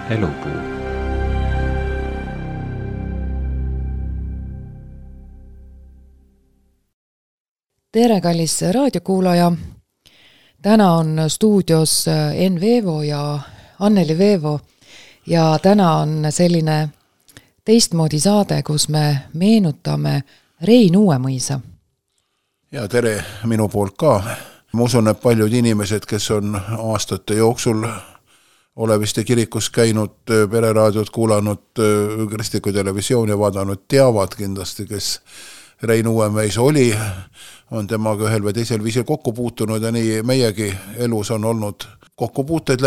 Elupuu. Tere, kallis raadiokuulaja! Täna on stuudios Enn Veevo ja Anneli Veevo ja täna on selline teistmoodi saade, kus me meenutame Rein Uuemõisa. Ja tere minu poolt ka. Ma usun, et paljud inimesed, kes on aastate jooksul Oleviste kirikus käinud, pereraadiot kuulanud, kristlikku televisiooni vaadanud, teavad kindlasti, kes Rein Uuemõisa oli, on temaga ühel või teisel viisil kokku puutunud ja nii meiegi elus on olnud kokkupuuteid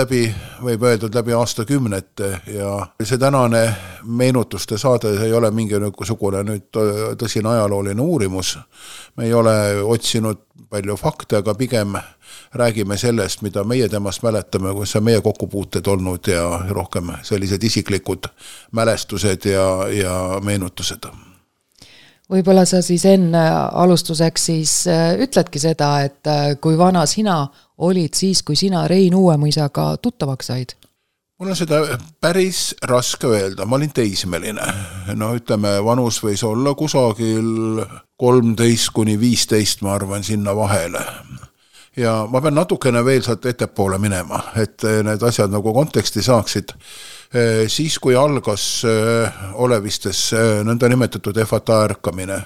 võib öeldud läbi aastakümnete ja see tänane meenutuste saade ei ole mingisugune nüüd tõsine ajalooline uurimus. Me ei ole otsinud palju fakte, aga pigem räägime sellest, mida meie temast mäletame, kus on meie kokkupuuted olnud ja rohkem sellised isiklikud mälestused ja meenutused. Võib-olla sa siis enne alustuseks siis ütledki seda, et kui vana sina olid siis, kui sina Rein Uuemõisaga tuttavaks said? Mul on seda päris raske öelda. Ma olin teismeline. No ütleme, vanus võis olla kusagil 13–15, ma arvan, sinna vahele. Ja ma pean natukene veel sealt ettepoole minema, et need asjad nagu konteksti saaksid. Siis, kui algas Olevistes nõnda nimetatud EFATA ärkamine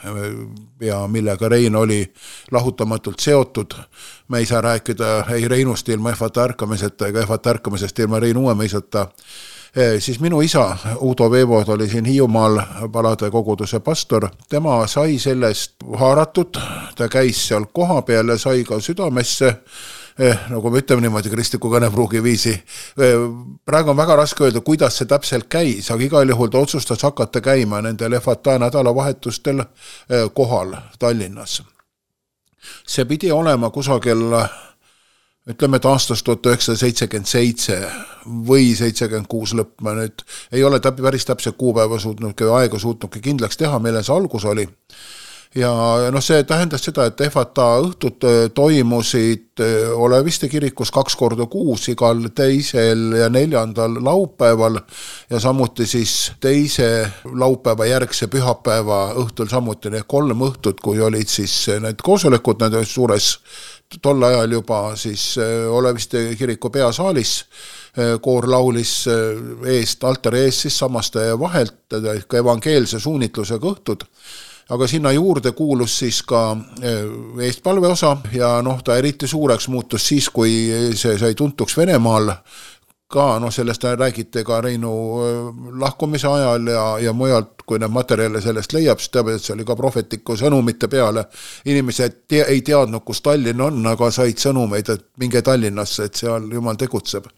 ja millega Rein oli lahutamatult seotud, me ei saa rääkida ei Reinust ilma EFATA ärkamiseta ega EFATA ärkamisest ilma Rein Uuemõisata, siis minu isa Udo Veevo oli siin Hiiumaal Palade koguduse pastor, tema sai sellest haaratud, ta käis seal koha peal ja sai ka südamesse, nagu me ütleme niimoodi kristliku kõnepruugi viisi. Praegu on väga raske öelda, kuidas see täpselt käis, aga igal juhul ta otsustas hakata käima nendel EFATA nädalavahetustel kohal Tallinnas. See pidi olema kusagil, ütleme, et aastast 1977 või 76 lõpp, ma nüüd ei ole päris täpselt kuupäeva aega suutnudki kindlaks teha, millal see algus oli. Ja see tähendas seda, et EFATA õhtud toimusid Oleviste kirikus 2 korda kuus, igal teisel ja 4. laupäeval ja samuti siis teise laupäeva järgse pühapäeva õhtul samuti need 3 õhtut, kui olid siis need koosolekud need suures tol ajal juba siis Oleviste kiriku peasaalis. Koor laulis eest, altari eest siis samaste vahelt ka evangeelse suunitlusega õhtud. Aga sinna juurde kuulus siis ka eestpalveosa ja ta eriti suureks muutus siis, kui see sai tuntuks Venemaal. Ka sellest räägite ka Reinu lahkumise ajal ja mujalt, kui need materjale sellest leiab, siis teab, et see oli ka prohvetliku sõnumite peale. Inimesed ei teadnud, kus Tallinn on, aga said sõnumeid, et minge Tallinnasse, et seal Jumal tegutseb.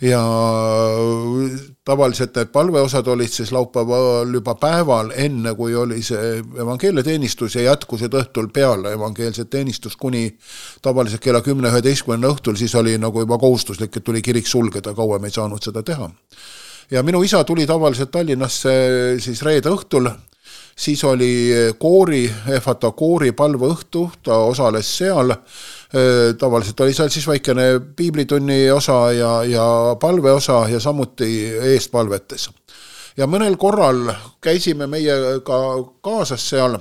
Ja tavaliselt need palveosad olid siis laupäeval juba päeval enne, kui oli see evangeeliateenistus ja jätkusid õhtul peale evangeelset teenistust kuni tavaliselt kella 10-11 õhtul, siis oli nagu juba kohustuslik, et tuli kirik sulgeda, kauem ei saanud seda teha. Ja minu isa tuli tavaliselt Tallinnasse siis reede õhtul, siis oli EFATA koori palveõhtu, ta osales seal, tavaliselt oli seal siis väikene piiblitunni osa ja palveosa ja samuti eestpalvetes. Ja mõnel korral käisime meie ka kaasas seal,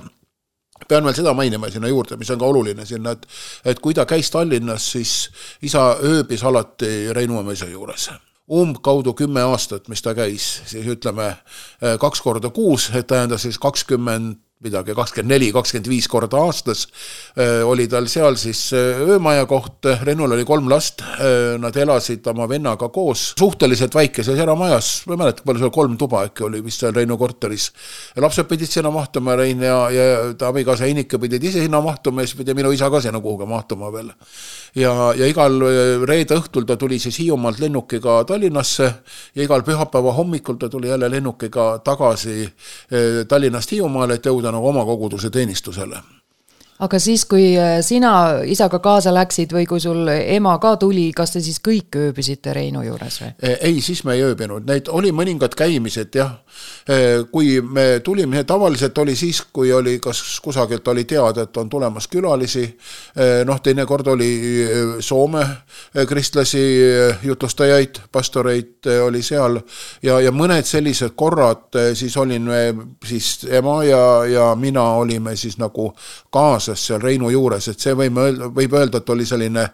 pean veel seda mainima sinna juurde, mis on ka oluline sinna, et kui ta käis Tallinnas, siis isa ööbis alati Rein Uuemõisa juures. Kaudu 10 aastat, mis ta käis, siis ütleme 2 korda kuus, et tähenda siis 24-25 korda aastas oli tal seal siis öömaja koht. Rennul oli 3 last, nad elasid oma vennaga koos suhteliselt väikeses eramajas, ma ei mäleta, palju seal 3 tuba äkki oli vist seal Reinu korteris. Lapsed pidid sinna mahtuma, Rein ja ta abikaasa Einike pidid ise sinna mahtuma ja siis pidi minu isa ka sinna kuhuga mahtuma veel. Ja igal reede õhtul ta tuli siis Hiiumaalt lennukiga Tallinnasse ja igal pühapäeva hommikul ta tuli jälle lennukiga tagasi Tallinnast Hiiumaale, et jõuda nagu oma koguduse teenistusele. aga siis, kui sina isaga kaasa läksid või kui sul ema ka tuli, kas te siis kõik ööbisite Reinu juures või? Ei, siis me ei ööbinud, neid oli mõningad käimised jah, kui me tulime, tavaliselt oli siis, kui oli, kas kusagilt oli teada, et on tulemas külalisi, teinekord oli Soome kristlasi jutlustajaid, pastoreid oli seal ja mõned sellised korrad siis olin siis ema ja mina olime siis nagu kaasas seal Reinu juures, et see võib öelda, et oli selline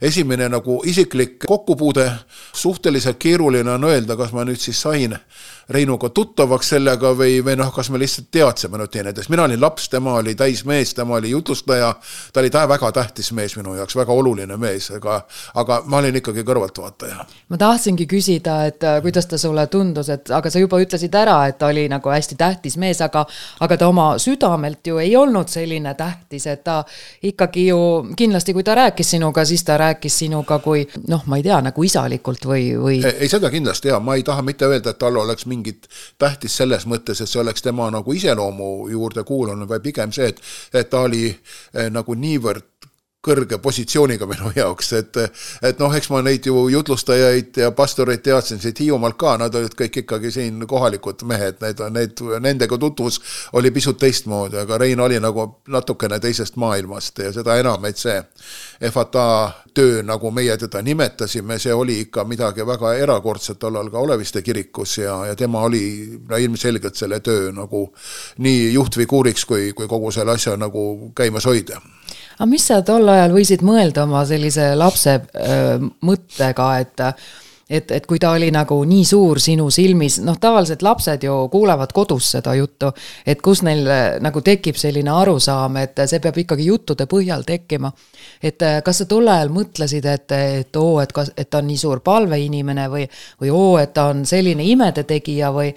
esimene nagu isiklik kokkupuude, suhteliselt keeruline on öelda, kas ma nüüd siis sain Reinuga tuttavaks sellega või kas me lihtsalt teadsime teineteist. Mina olin laps, tema oli täismees, tema oli jutlustaja, ta oli väga tähtis mees minu jaoks, väga oluline mees, aga ma olin ikkagi kõrvaltvaataja. Ma tahtsingi küsida, et kuidas ta sulle tundus, aga sa juba ütlesid ära, et ta oli nagu hästi tähtis mees, aga ta oma südamelt ju ei olnud selline tähtis, et ta ikkagi ju kindlasti, kui ta rääkis sinuga, siis ta rääkis sinuga kui, ma ei tea, nagu isalikult või... Ei, seda kindlasti ma ei taha mitte öelda, et tal oleks mingit tähtis selles mõttes, et see oleks tema nagu iseloomu juurde kuulunud, või pigem see, et ta oli nagu niivõrd kõrge positsiooniga minu jaoks, et eks ma neid ju jutlustajaid ja pastoreid teadsin siit Hiiumaalt ka, nad olid kõik ikkagi siin kohalikud mehed, nendega tutvus oli pisut teistmoodi, aga Rein oli nagu natukene teisest maailmast ja seda enam, et see FATA töö, nagu meie teda nimetasime, see oli ikka midagi väga erakordset tollal ka Oleviste kirikus ja tema oli ilmselgelt selle töö nagu nii juhtfiguuriks kui kogu selle asja nagu käimas hoida. Aga mis sa tol ajal võisid mõelda oma sellise lapse mõttega, et kui ta oli nagu nii suur sinu silmis, tavaliselt lapsed ju kuulevad kodus seda juttu, et kus neil nagu tekib selline arusaam, et see peab ikkagi juttude põhjal tekkima. Et kas sa tol ajal mõtlesid, et ta on nii suur palveinimene või et ta on selline imede tegija või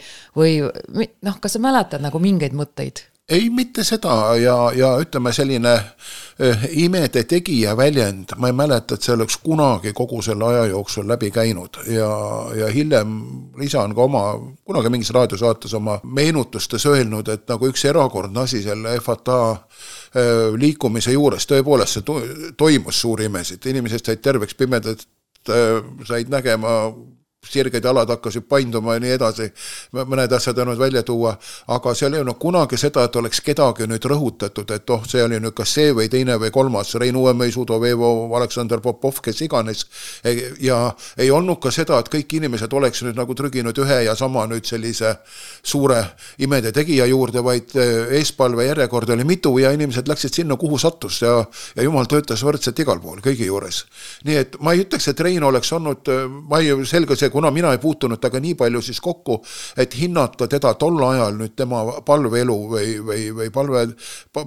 kas sa mäletad nagu mingeid mõtteid? Ei, mitte seda ja ütleme selline imede tegija väljend, ma ei mäleta, et see oleks kunagi kogu selle aja jooksul läbi käinud ja hiljem isa on ka kunagi mingis raadiosaates oma meenutustes öelnud, et nagu üks erakordne asi selle FATA liikumise juures, tõepoolest see toimus suuri imesid, inimesed said terveks pimedad, said nägema sirged jalad hakkasid painduma ja nii edasi, mõned asjad on välja tuua, aga seal ei olnud kunagi seda, et oleks kedagi nüüd rõhutatud, et see oli nüüd kas see või teine või kolmas, Rein Uuemõis, Udo Veevo, Aleksander Popov, kes iganes, ja ei olnud ka seda, et kõik inimesed oleks nüüd nagu trüginud ühe ja sama nüüd sellise suure imede tegija juurde, vaid eespalve järjekord oli mitu ja inimesed läksid sinna, kuhu sattus ja Jumal töötas võrdselt igal pool, kõigi juures. Nii et ma ei ütleks, et Rein oleks olnud, ma ei selge see, kuna mina ei puutunud taga nii palju siis kokku, et hinnata teda tol ajal nüüd tema palveelu või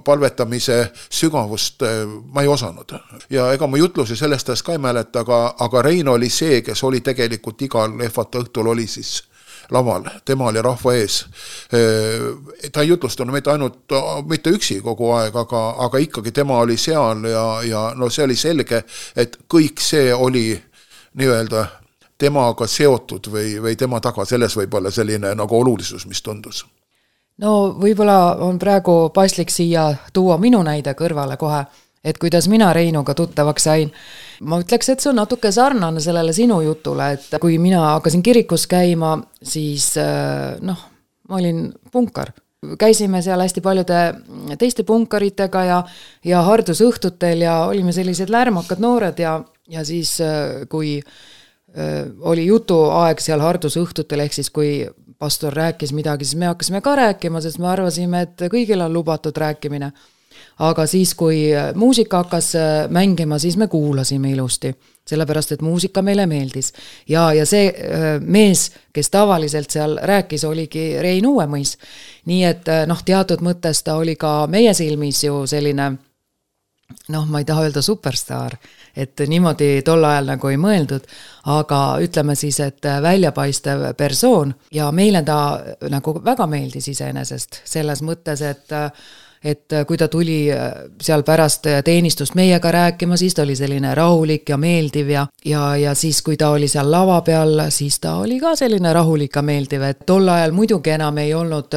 palvetamise sügavust ma ei osanud. Ja ega ma jutlusi sellest ka ei mäleta, aga Rein oli see, kes oli tegelikult igal FATA õhtul oli siis laval, tema oli rahva ees. Ta ei jutlustanud mitte üksi kogu aeg, aga ikkagi tema oli seal ja see oli selge, et kõik see oli nii-öelda temaga seotud või tema taga, selles võib olla selline nagu olulisus, mis tundus. No võib-olla on praegu paslik siia tuua minu näide kõrvale kohe, et kuidas mina Reinuga tuttavaks sain. Ma ütleks, et see on natuke sarnane sellele sinu jutule, et kui mina hakkasin kirikus käima, siis ma olin punkar. Käisime seal hästi paljude teiste punkaritega ja hardusõhtutel ja olime sellised lärmakad noored ja siis kui oli jutuaeg seal hardusõhtutel, ehk siis kui pastor rääkis midagi, siis me hakkasime ka rääkima, sest me arvasime, et kõigil on lubatud rääkimine. Aga siis, kui muusika hakkas mängima, siis me kuulasime ilusti, sellepärast, et muusika meile meeldis. Ja see mees, kes tavaliselt seal rääkis, oligi Rein Uuemõis. Nii et teatud mõttes ta oli ka meie silmis ju selline, ma ei taha öelda superstaar, et niimoodi tol ajal nagu ei mõeldud, aga ütleme siis, et väljapaistev persoon ja meile ta nagu väga meeldis iseenesest selles mõttes, et kui ta tuli seal pärast teenistust meiega rääkima, siis ta oli selline rahulik ja meeldiv ja siis, kui ta oli seal lava peal, siis ta oli ka selline rahulik ja meeldiv, et tol ajal muidugi enam ei olnud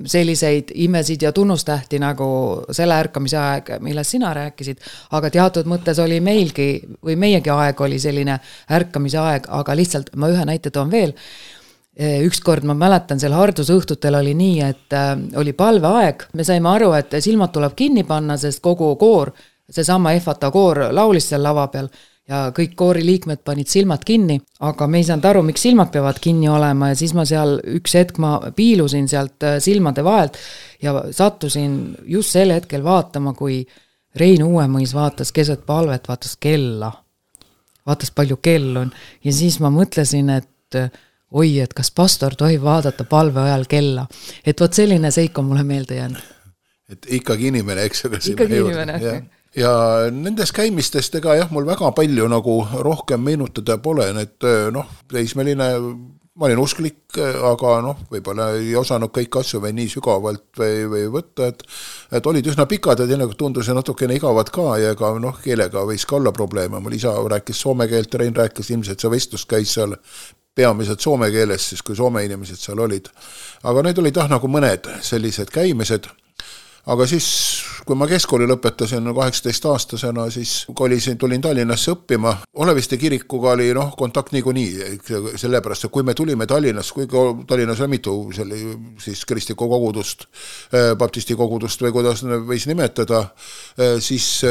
selliseid imesid ja tunnustähti nagu selle ärkamise aeg, millest sina rääkisid, aga teatud mõttes oli meilgi või meiegi aeg oli selline ärkamise aeg, aga lihtsalt ma ühe näite toon veel. Ükskord ma mäletan, seal hardusõhtutel oli nii, et oli palveaeg. Me saime aru, et silmad tuleb kinni panna, sest kogu koor, seesama FATA koor laulis seal lava peal ja kõik koori liikmed panid silmad kinni, aga me ei saanud aru, miks silmad peavad kinni olema ja siis ma seal üks hetk ma piilusin sealt silmade vahelt ja sattusin just sel hetkel vaatama, kui Rein Uuemõis vaatas keset palvet, vaatas kella. Vaatas palju kell on ja siis ma mõtlesin, et oi, et kas pastor tohib vaadata palve ajal kella. Et võt selline seik on mulle meelde jäänud. Et ikkagi inimene, eks aga ikkagi inimene. Ja nendes käimistest ega jah, mul väga palju nagu rohkem meenutada pole, et teismeline, ma olin usklik, aga võib-olla ei osanud kõik asju või nii sügavalt või võtta, et olid üsna pikad ja teinekord tundus natukene igavad ka ja ka keelega võis ka olla probleeme. Mul isa rääkis soome keelt, Rein rääkis ilmselt see vestlus käis seal peamiselt soome keeles, siis kui soome inimesed seal olid. Aga need olid nagu mõned sellised käimised. Aga siis, kui ma keskkooli lõpetasin 18-aastasena, siis tulin Tallinnasse õppima. Oleviste kirikuga oli kontakt niikuinii, sellepärast, et kui me tulime Tallinnasse, kuigi Tallinnas on mitu siis kristlikku kogudust, baptisti kogudust või kuidas võis nimetada, siis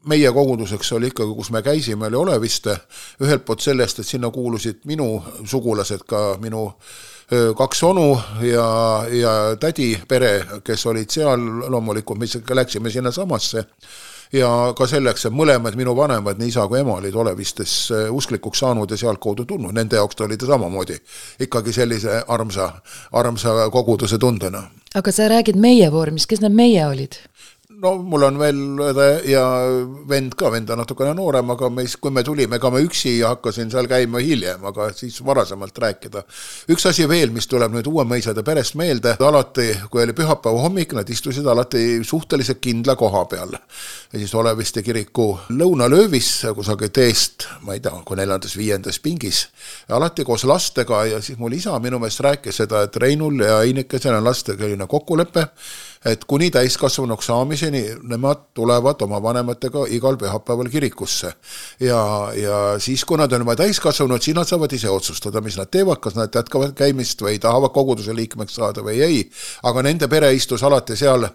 meie koguduseks oli ikkagi, kus me käisime, oli Oleviste. Ühelt poolt sellest, et sinna kuulusid minu sugulased, ka minu 2 onu ja tädi pere, kes olid seal loomulikult, mis läksime sinna samasse. Ja ka selleks, et mõlemad minu vanemad, nii isa kui ema olid Olevistes usklikuks saanud ja sealt kaudu tulnud. Nende jaoks oli ta samamoodi ikkagi sellise armsa koguduse tundena. Aga sa räägid meie vormis, kes need meie olid? Mul on veel ja vend ka, vend on natukene noorem, aga kui me tulime, ega me üksi ja hakkasin seal käima hiljem, aga siis varasemalt rääkida. Üks asi veel, mis tuleb nüüd Uuemõisade perest meelde, alati, kui oli pühapäeva hommik, nad istusid alati suhteliselt kindla koha peal. Ja siis Oleviste kiriku lõunalöövis, kusagil teest, ma ei tea, kui 4.-5. pingis, alati koos lastega ja siis mul isa minu meelest rääkis seda, et Reinul ja Einikesel on lastega kokkulepe, et kuni täiskasvanuks saamiseni nemad tulevad oma vanematega igal pühapäeval kirikusse. Ja siis, kui nad on juba täiskasvanud, siis nad saavad ise otsustada, mis nad teevad, kas nad jätkavad käimist või tahavad koguduse liikmeks saada või ei. Aga nende pere istus alati seal,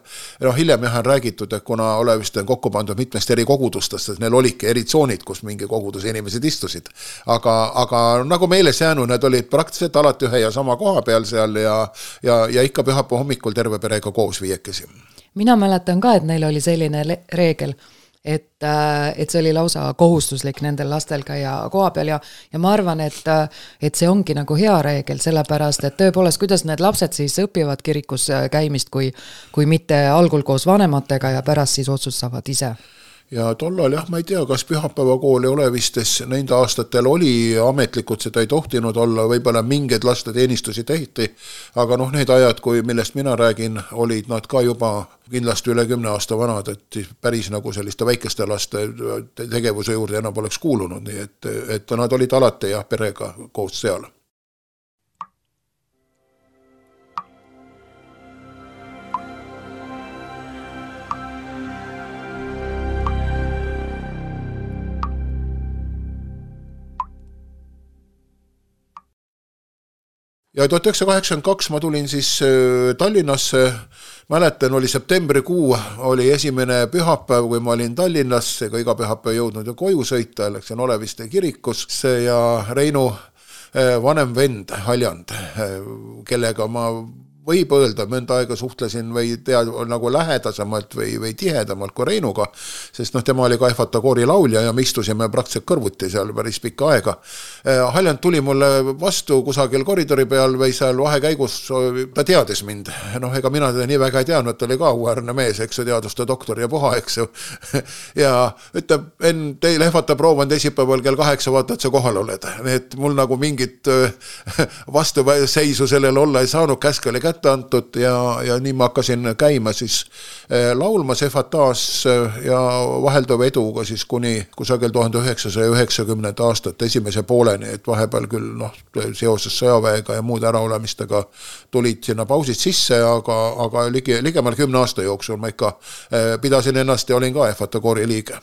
hiljem on räägitud, et kuna Oleviste on kokku pandud mitmest eri kogudustest, et neil olidki eri tsoonid, kus mingi koguduse inimesed istusid. Aga nagu meeles jäänud, need olid praktiliselt alati ühe ja sama koha peal seal ja ikka pühapäeva hommikul terve perega koos viiekesi. Mina mäletan ka, et neil oli selline reegel, et see oli lausa kohustuslik nendel lastel käia koha peal ja ma arvan, et see ongi nagu hea reegel, sellepärast, et tõepoolest, kuidas need lapsed siis õpivad kirikus käimist, kui mitte algul koos vanematega ja pärast siis otsustavad ise. Ja tollal ma ei tea, kas pühapäevakooli Olevistes nende aastatel oli ametlikult, seda ei tohtinud olla, võib-olla mingeid laste teenistusi tehti, aga need ajad, millest mina räägin, olid nad ka juba kindlasti üle 10 aasta vanad, et päris nagu selliste väikeste laste tegevuse juurde enam oleks kuulunud, nii et nad olid alati perega koos seal. Ja 1982 ma tulin siis Tallinnasse, mäletan, oli septembrikuu, oli esimene pühapäev, kui ma olin Tallinnas, ega iga pühapäev jõudnud ja koju sõita, läksin Oleviste kirikusse ja Reinu vanem vend Haljand, kellega ma võib öelda, mõnda aega suhtlesin või nagu lähedasemalt või tihedamalt kui Reinuga, sest tema oli ka FATA koori laulja ja me istusime praktiliselt kõrvuti seal päris pikka aega. Haljand tuli mulle vastu kusagil koridori peal või seal vahekäigus, ta teadis mind. Ega mina teda nii väga ei teadnud, ta oli ka uuärne mees, eks ju, teaduste doktor ja puha, eks ju. Ja ütleb, teil FATA proov on teisipäeval kell 8, vaata, et sa kohal oled. Et mul nagu mingit vastuseisu sellele olla ei saanud, käsk oli kätte kätte antud ja nii ma hakkasin käima siis laulmas Efataas ja vahelduva eduga siis kuni kusagil 1990. aastat esimese pooleni, et vahepeal küll seoses sõjaväega ja muude äraolemistega tulid sinna pausid sisse, aga ligemal 10 aasta jooksul ma ikka pidasin ennast ja olin ka Efata koori liige.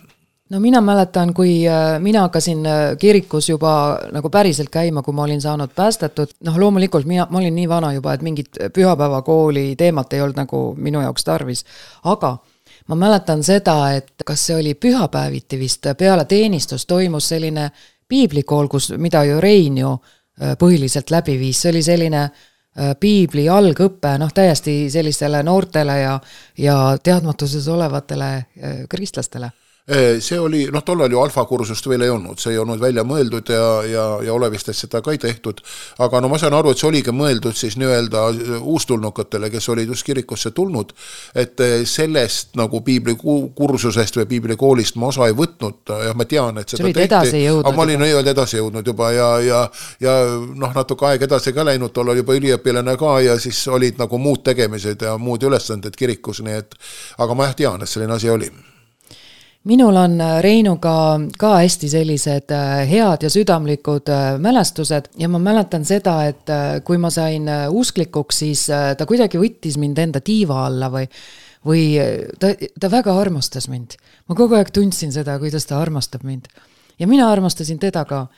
No mina mäletan, kui mina hakkasin kirikus juba nagu päriselt käima, kui ma olin saanud päästetud. Loomulikult ma olin nii vana juba, et mingit pühapäevakooli teemat ei olnud nagu minu jaoks tarvis. Aga ma mäletan seda, et kas see oli pühapäeviti vist peale teenistus toimus selline piiblikool, mida ju Rein ju põhiliselt läbi viis. See oli selline piibli algõppe, täiesti sellistele noortele ja teadmatuses olevatele kristlastele. See oli, tollal ju alfakursust veel ei olnud, see ei olnud välja mõeldud ja olevistest seda ka ei tehtud, aga ma saan aru, et see oligi mõeldud siis nii-öelda uustulnukatele, kes olid just kirikusse tulnud, et sellest nagu piiblikursusest või piiblikoolist ma osa ei võtnud ja ma tean, et seda tehti, aga ma olin edasi jõudnud juba ja natuke aeg edasi ka läinud, tollal juba üliõpilane ka ja siis olid nagu muud tegemised ja muud ülesanded kirikus, nii et aga ma tean, et selline asi oli. Minul on Reinuga ka hästi sellised head ja südamlikud mälestused ja ma mäletan seda, et kui ma sain usklikuks, siis ta kuidagi võttis mind enda tiiva alla või ta väga armastas mind. Ma kogu aeg tundsin seda, kuidas ta armastab mind. Ja mina armastasin teda ka.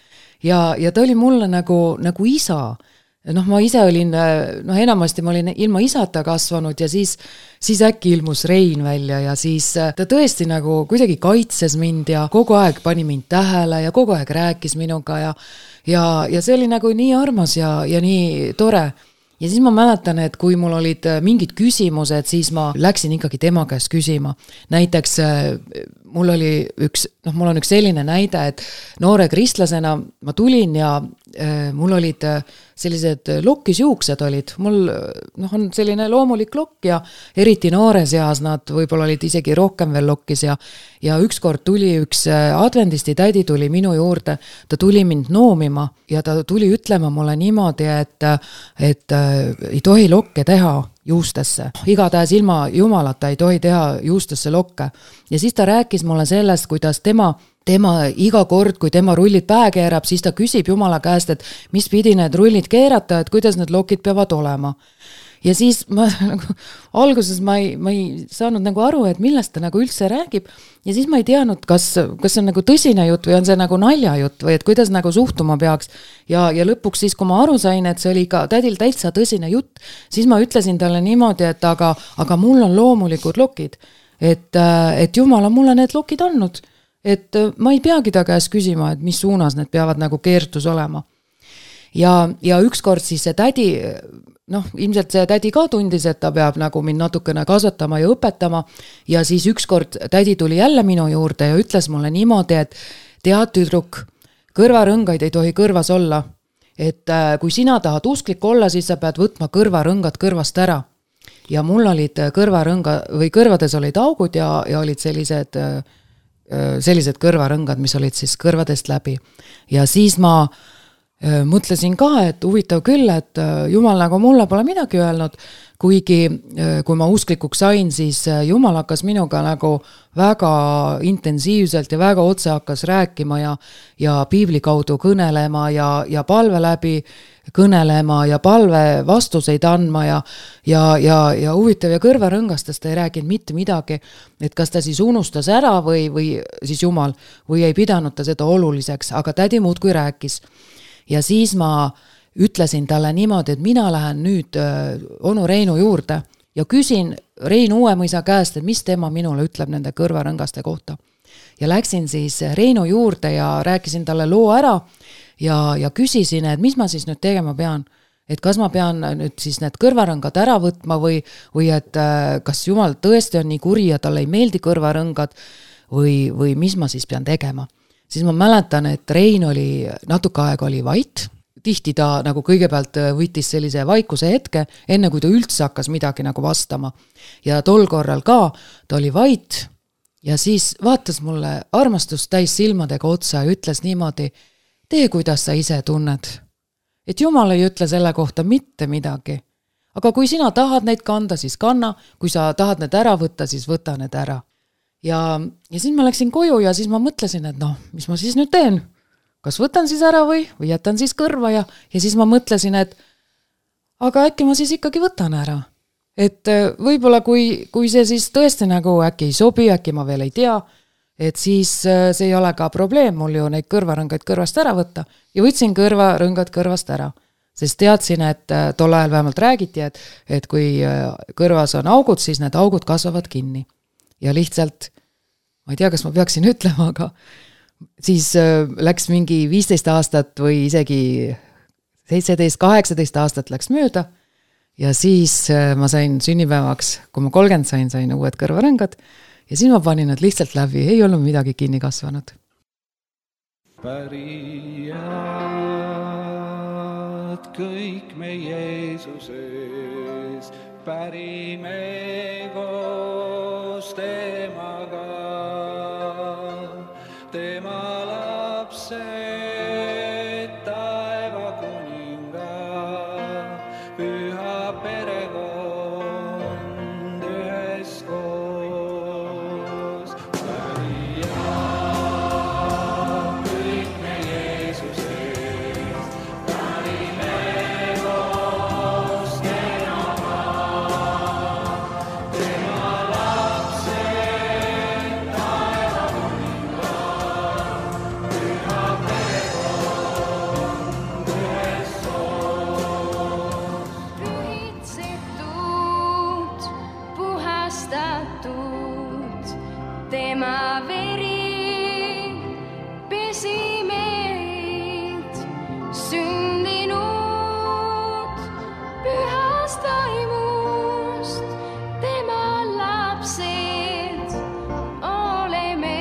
Ja ta oli mulle nagu isa. Ma ise olin, enamasti ma olin ilma isata kasvanud ja siis äkki ilmus Rein välja ja siis ta tõesti nagu kuidagi kaitses mind ja kogu aeg pani mind tähele ja kogu aeg rääkis minuga ja see oli nagu nii armas ja nii tore. Ja siis ma mäletan, et kui mul olid mingid küsimused, siis ma läksin ikkagi tema käest küsima. Näiteks mul on üks selline näide, et noore kristlasena ma tulin ja mul olid sellised lokkisjuuksed olid. Mul on selline loomulik lokk ja eriti noore seas nad võib-olla olid isegi rohkem veel lokkis ja ükskord tuli üks adventisti tädi tuli minu juurde, ta tuli mind noomima ja ta tuli ütlema mulle niimoodi, et ei tohi lokke teha juustesse. Igatahes ilma jumalata ei tohi teha juustesse lokke. Ja siis ta rääkis mulle sellest, kuidas tema iga kord, kui tema rullid pähe keerab, siis ta küsib Jumala käest, et mis pidi need rullid keerata, et kuidas need lokid peavad olema. Ja siis alguses ma ei saanud nagu aru, et millest ta nagu üldse räägib ja siis ma ei teadnud, kas see on nagu tõsine jutt või on see nagu naljajutt või et kuidas nagu suhtuma peaks ja lõpuks siis, kui ma aru sain, et see oli ka tädil täitsa tõsine jutt, siis ma ütlesin talle niimoodi, et aga mul on loomulikud lokid, et Jumal on mulle need lokid andnud, et ma ei peagi ta käest küsima, et mis suunas need peavad nagu keertus olema. Ja ükskord siis see tädi, ilmselt see tädi ka tundis, et ta peab nagu mind natukene kasvatama ja õpetama ja siis ükskord tädi tuli jälle minu juurde ja ütles mulle niimoodi, et tead tüdruk, kõrvarõngaid ei tohi kõrvas olla, et kui sina tahad usklik olla, siis sa pead võtma kõrvarõngad kõrvast ära ja mul olid kõrvades olid augud ja olid sellised kõrvarõngad, mis olid siis kõrvadest läbi ja siis ma mõtlesin ka, et huvitav küll, et Jumal nagu mulle pole midagi öelnud, kuigi kui ma usklikuks sain, siis Jumal hakkas minuga nagu väga intensiivselt ja väga otse hakkas rääkima ja piibli kaudu kõnelema ja palve läbi kõnelema ja palve vastuseid andma ja huvitav ja kõrvarõngastest ei rääkinud mitte midagi, et kas ta siis unustas ära või siis Jumal või ei pidanud ta seda oluliseks, aga tädi muudkui rääkis. Ja siis ma ütlesin talle niimoodi, et mina lähen nüüd onu Reinu juurde ja küsin Rein Uuemõisa käest, et mis tema minule ütleb nende kõrvarõngaste kohta. Ja läksin siis Reinu juurde ja rääkisin talle loo ära ja küsisin, et mis ma siis nüüd tegema pean. Et kas ma pean nüüd siis need kõrvarõngad ära võtma või et kas Jumal tõesti on nii kuri ja talle ei meeldi kõrvarõngad või mis ma siis pean tegema. Siis ma mäletan, et Rein oli natuke aega oli vait, tihti ta nagu kõigepealt võttis sellise vaikuse hetke, enne kui ta üldse hakkas midagi nagu vastama. Ja tol korral ka ta oli vait ja siis vaatas mulle armastust täis silmadega otsa ja ütles niimoodi, tee kuidas sa ise tunned. Et Jumal ei ütle selle kohta mitte midagi, aga kui sina tahad neid kanda, siis kanna, kui sa tahad need ära võtta, siis võta need ära. Ja siis ma läksin koju ja siis ma mõtlesin, et mis ma siis nüüd teen? Kas võtan siis ära või jätan siis kõrva ja siis ma mõtlesin, et aga äkki ma siis ikkagi võtan ära. Et võib-olla kui see siis tõesti nagu äkki ei sobi, äkki ma veel ei tea, et siis see ei ole ka probleem mul ju neid kõrvarõngad kõrvast ära võtta ja võtsin kõrvarõngad kõrvast ära. Sest teadsin, et tol ajal vähemalt räägiti, et kui kõrvas on augud, siis need augud kasvavad kinni. Ja lihtsalt, ma ei tea, kas ma peaksin ütlema, aga siis läks mingi 15 aastat või isegi 17-18 aastat läks mööda ja siis ma sain sünnipäevaks, kui ma 30 sain uued kõrvarõngad ja siis ma panin nad lihtsalt läbi, ei olnud midagi kinni kasvanud. Pärijad kõik me Jeesuses, pärime koos temaga, tema lapsed, taeva kuninga, püha perekond üheskoos. Pärijad kõik me Jeesuses, pärime koos temaga, tema lapsed, taeva kuninga, püha perekond üheskoos. Pühitsetud, puhastatud, tema veri pesi meid, sündinud pühast vaimust, tema lapsed oleme.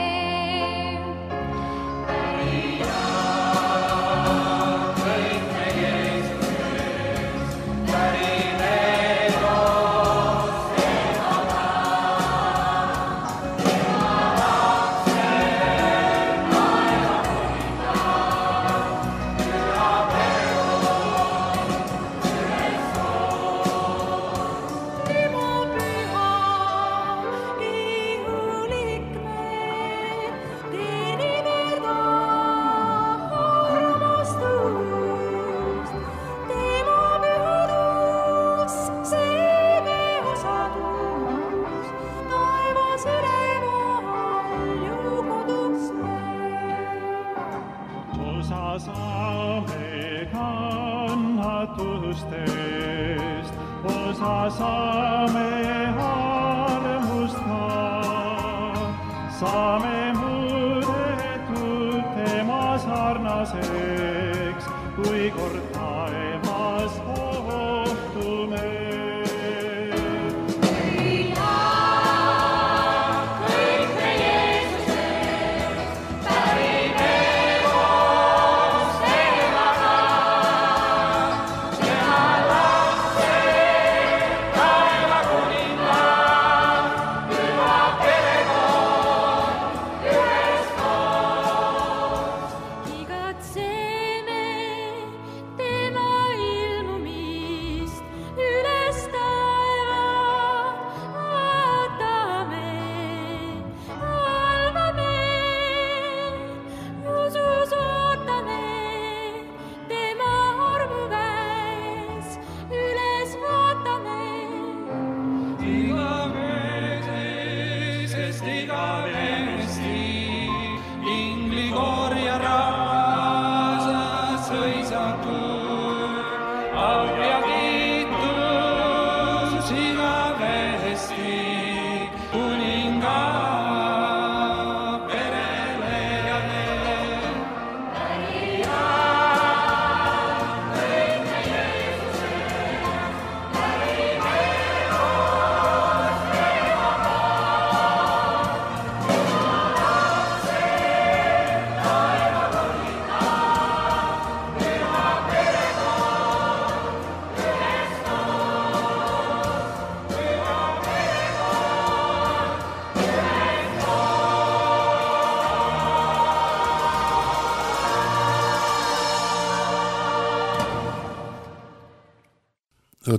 Osa saame kannatustest, osa saame armust ka. Saame muudetud tema sarnaseks, kui kord taevas kohtume. Igatseme tema ilmumist üles taeva, vaatame, valvame, usus ootame, tema armu käes üles vaatame. Igavesest igavesti, ingli korja rahvas sõisatud, au ja kiitus igavesti kuninga perele.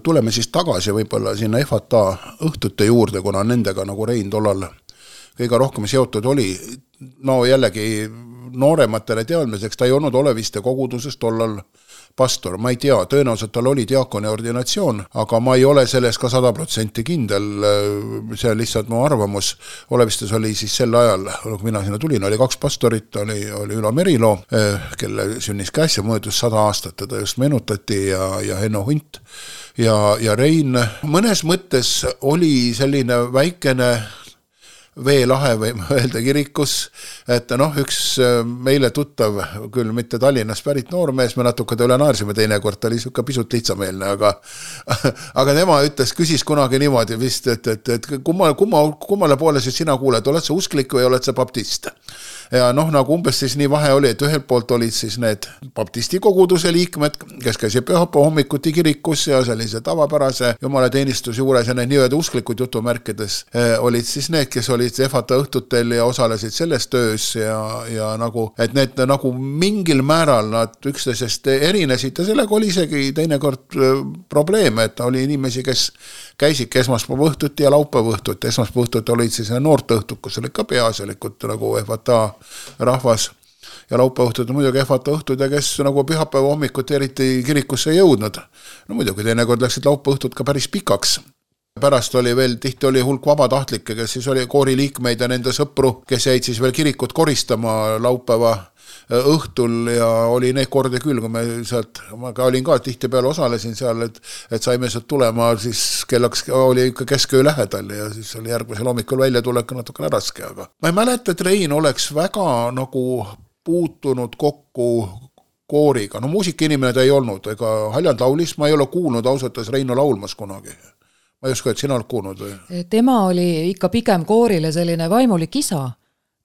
tuleme siis tagasi võib-olla sinna FATA õhtute juurde, kuna nendega nagu Rein tollal kõige rohkem seotud oli. No jällegi noorematele teadmiseks, ta ei olnud Oleviste koguduses tollal pastor, ma ei tea, tõenäoliselt tal oli diakoni ordinatsioon, aga ma ei ole selles ka 100% kindel, see on lihtsalt mu arvamus. Olevistes oli siis sel ajal, kui mina sinna tulin, oli 2 pastorit, oli Ülo Merilo, kelle sünnis käes ja möödus 100 aastat, teda just meenutati ja Henno Hunt ja Rein. Mõnes mõttes oli selline väikene veelahe või öelda kirikus, et üks meile tuttav, küll mitte Tallinnas pärit noormees, me natuke üle naarsime teinekord, ta oli siuke pisut lihtsameelne, aga tema küsis kunagi niimoodi vist, et kummale poole siis sina kuuled, oled sa usklik või oled sa baptist? Ja nagu umbes siis nii vahe oli, et ühelt poolt olid siis need baptisti koguduse liikmed, kes käisid pühapäeva hommikuti kirikus ja sellise tavapärase jumalateenistus juures ja need nii-öelda usklikud jutumärkides olid siis need, kes olid FATA õhtutel ja osalesid selles töös ja nagu, et need nagu mingil määral nad üksteisest erinesid ja sellega oli isegi teinekord probleeme, et oli inimesi, kes käisid esmaspäeva õhtuti ja laupäeva õhtuti. Esmaspäeva õhtuti olid siis noorte õhtud, kus olid ka peaasjalikult nagu FATA rahvas ja laupäeva õhtud muidugi FATA õhtud ja kes nagu pühapäeva hommikuti eriti kirikusse jõudnud. No muidugi teinekord läksid laupäeva õhtud ka päris pikaks. Pärast oli veel, tihti oli hulk vabatahtlikke, kes siis oli kooriliikmeid ja nende sõpru, kes jäid siis veel kirikut koristama laupäeva õhtul ja oli neid kordi küll, kui me sealt, ma olin ka tihtipeale osalesin seal, et saime sealt tulema, siis kellaks oli ikka kesköö lähedal ja siis oli järgmisel hommikul välja tulek natukene raske, aga ma ei mäleta, et Rein oleks väga nagu puutunud kokku kooriga, no muusikainimene ta ei olnud, ega Haljand laulis, ma ei ole kuulnud ausalt Reino laulmas kunagi. Ma ei usko, et sina oled kuulnud või? Tema oli ikka pigem koorile selline vaimulik isa.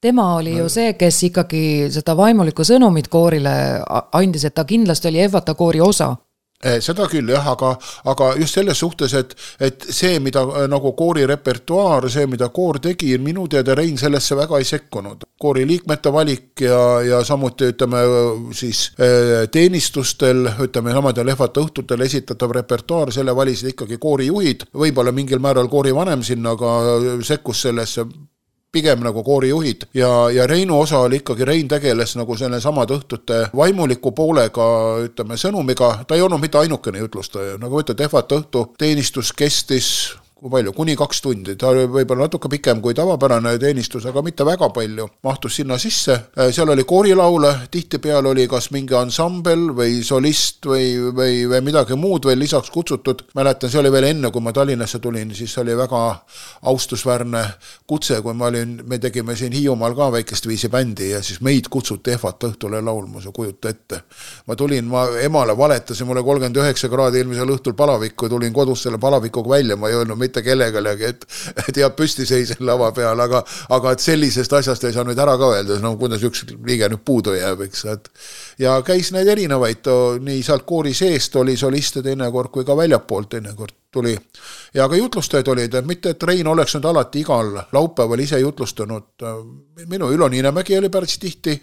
Tema oli ju see, kes ikkagi seda vaimulikku sõnumit koorile andis, et ta kindlasti oli FATA koori osa. Seda küll jah, aga just selles suhtes, et see, mida nagu koori repertuaar, see, mida koor tegi, minu teada Rein sellesse väga ei sekkunud. Koori liikmete valik ja samuti ütleme siis teenistustel, ütleme samadel FATA õhtutel esitatav repertuaar, selle valisid ikkagi koorijuhid, võib-olla mingil määral koori vanem sinna, aga sekkus sellesse pigem nagu koorijuhid ja Reinu osa oli ikkagi, Rein tegeles nagu selle samad õhtute vaimuliku poolega, ütleme sõnumiga, ta ei olnud mitte ainukene jutlustaja, nagu võtad FATA õhtu teenistus kestis kui palju, kuni 2 tundi, ta oli võib-olla natuke pikem kui tavapärane teenistus, aga mitte väga palju, mahtus sinna sisse, seal oli koorilaule, tihtipeal oli kas mingi ansambel või solist või midagi muud veel lisaks kutsutud, mäletan, see oli veel enne, kui ma Tallinnasse tulin, siis oli väga austusväärne kutse, kui me tegime siin Hiiumaal ka väikest viisi bändi ja siis meid kutsuti FATA õhtule laulma, see kujuta ette. Ma emale valetasin, mulle 39 kraadi eelmisel õhtul palavikku, tulin kodus selle palavikuga välja, ma ei öelnud mitte kellegalegi, et jääb püsti seisen lava peal, aga et sellisest asjast ei saa nüüd ära ka öelda, no kuidas üks liige nüüd puudu jääb, eks. Ja käis neid erinevaid, nii sealt koori seest oli soliste teinekord kui ka väljapoolt teinekord tuli. Ja ka jutlustajad olid, et mitte, et Rein oleks nüüd alati igal laupäeval ise jutlustanud. Minu Ülo Niinemägi oli päris tihti,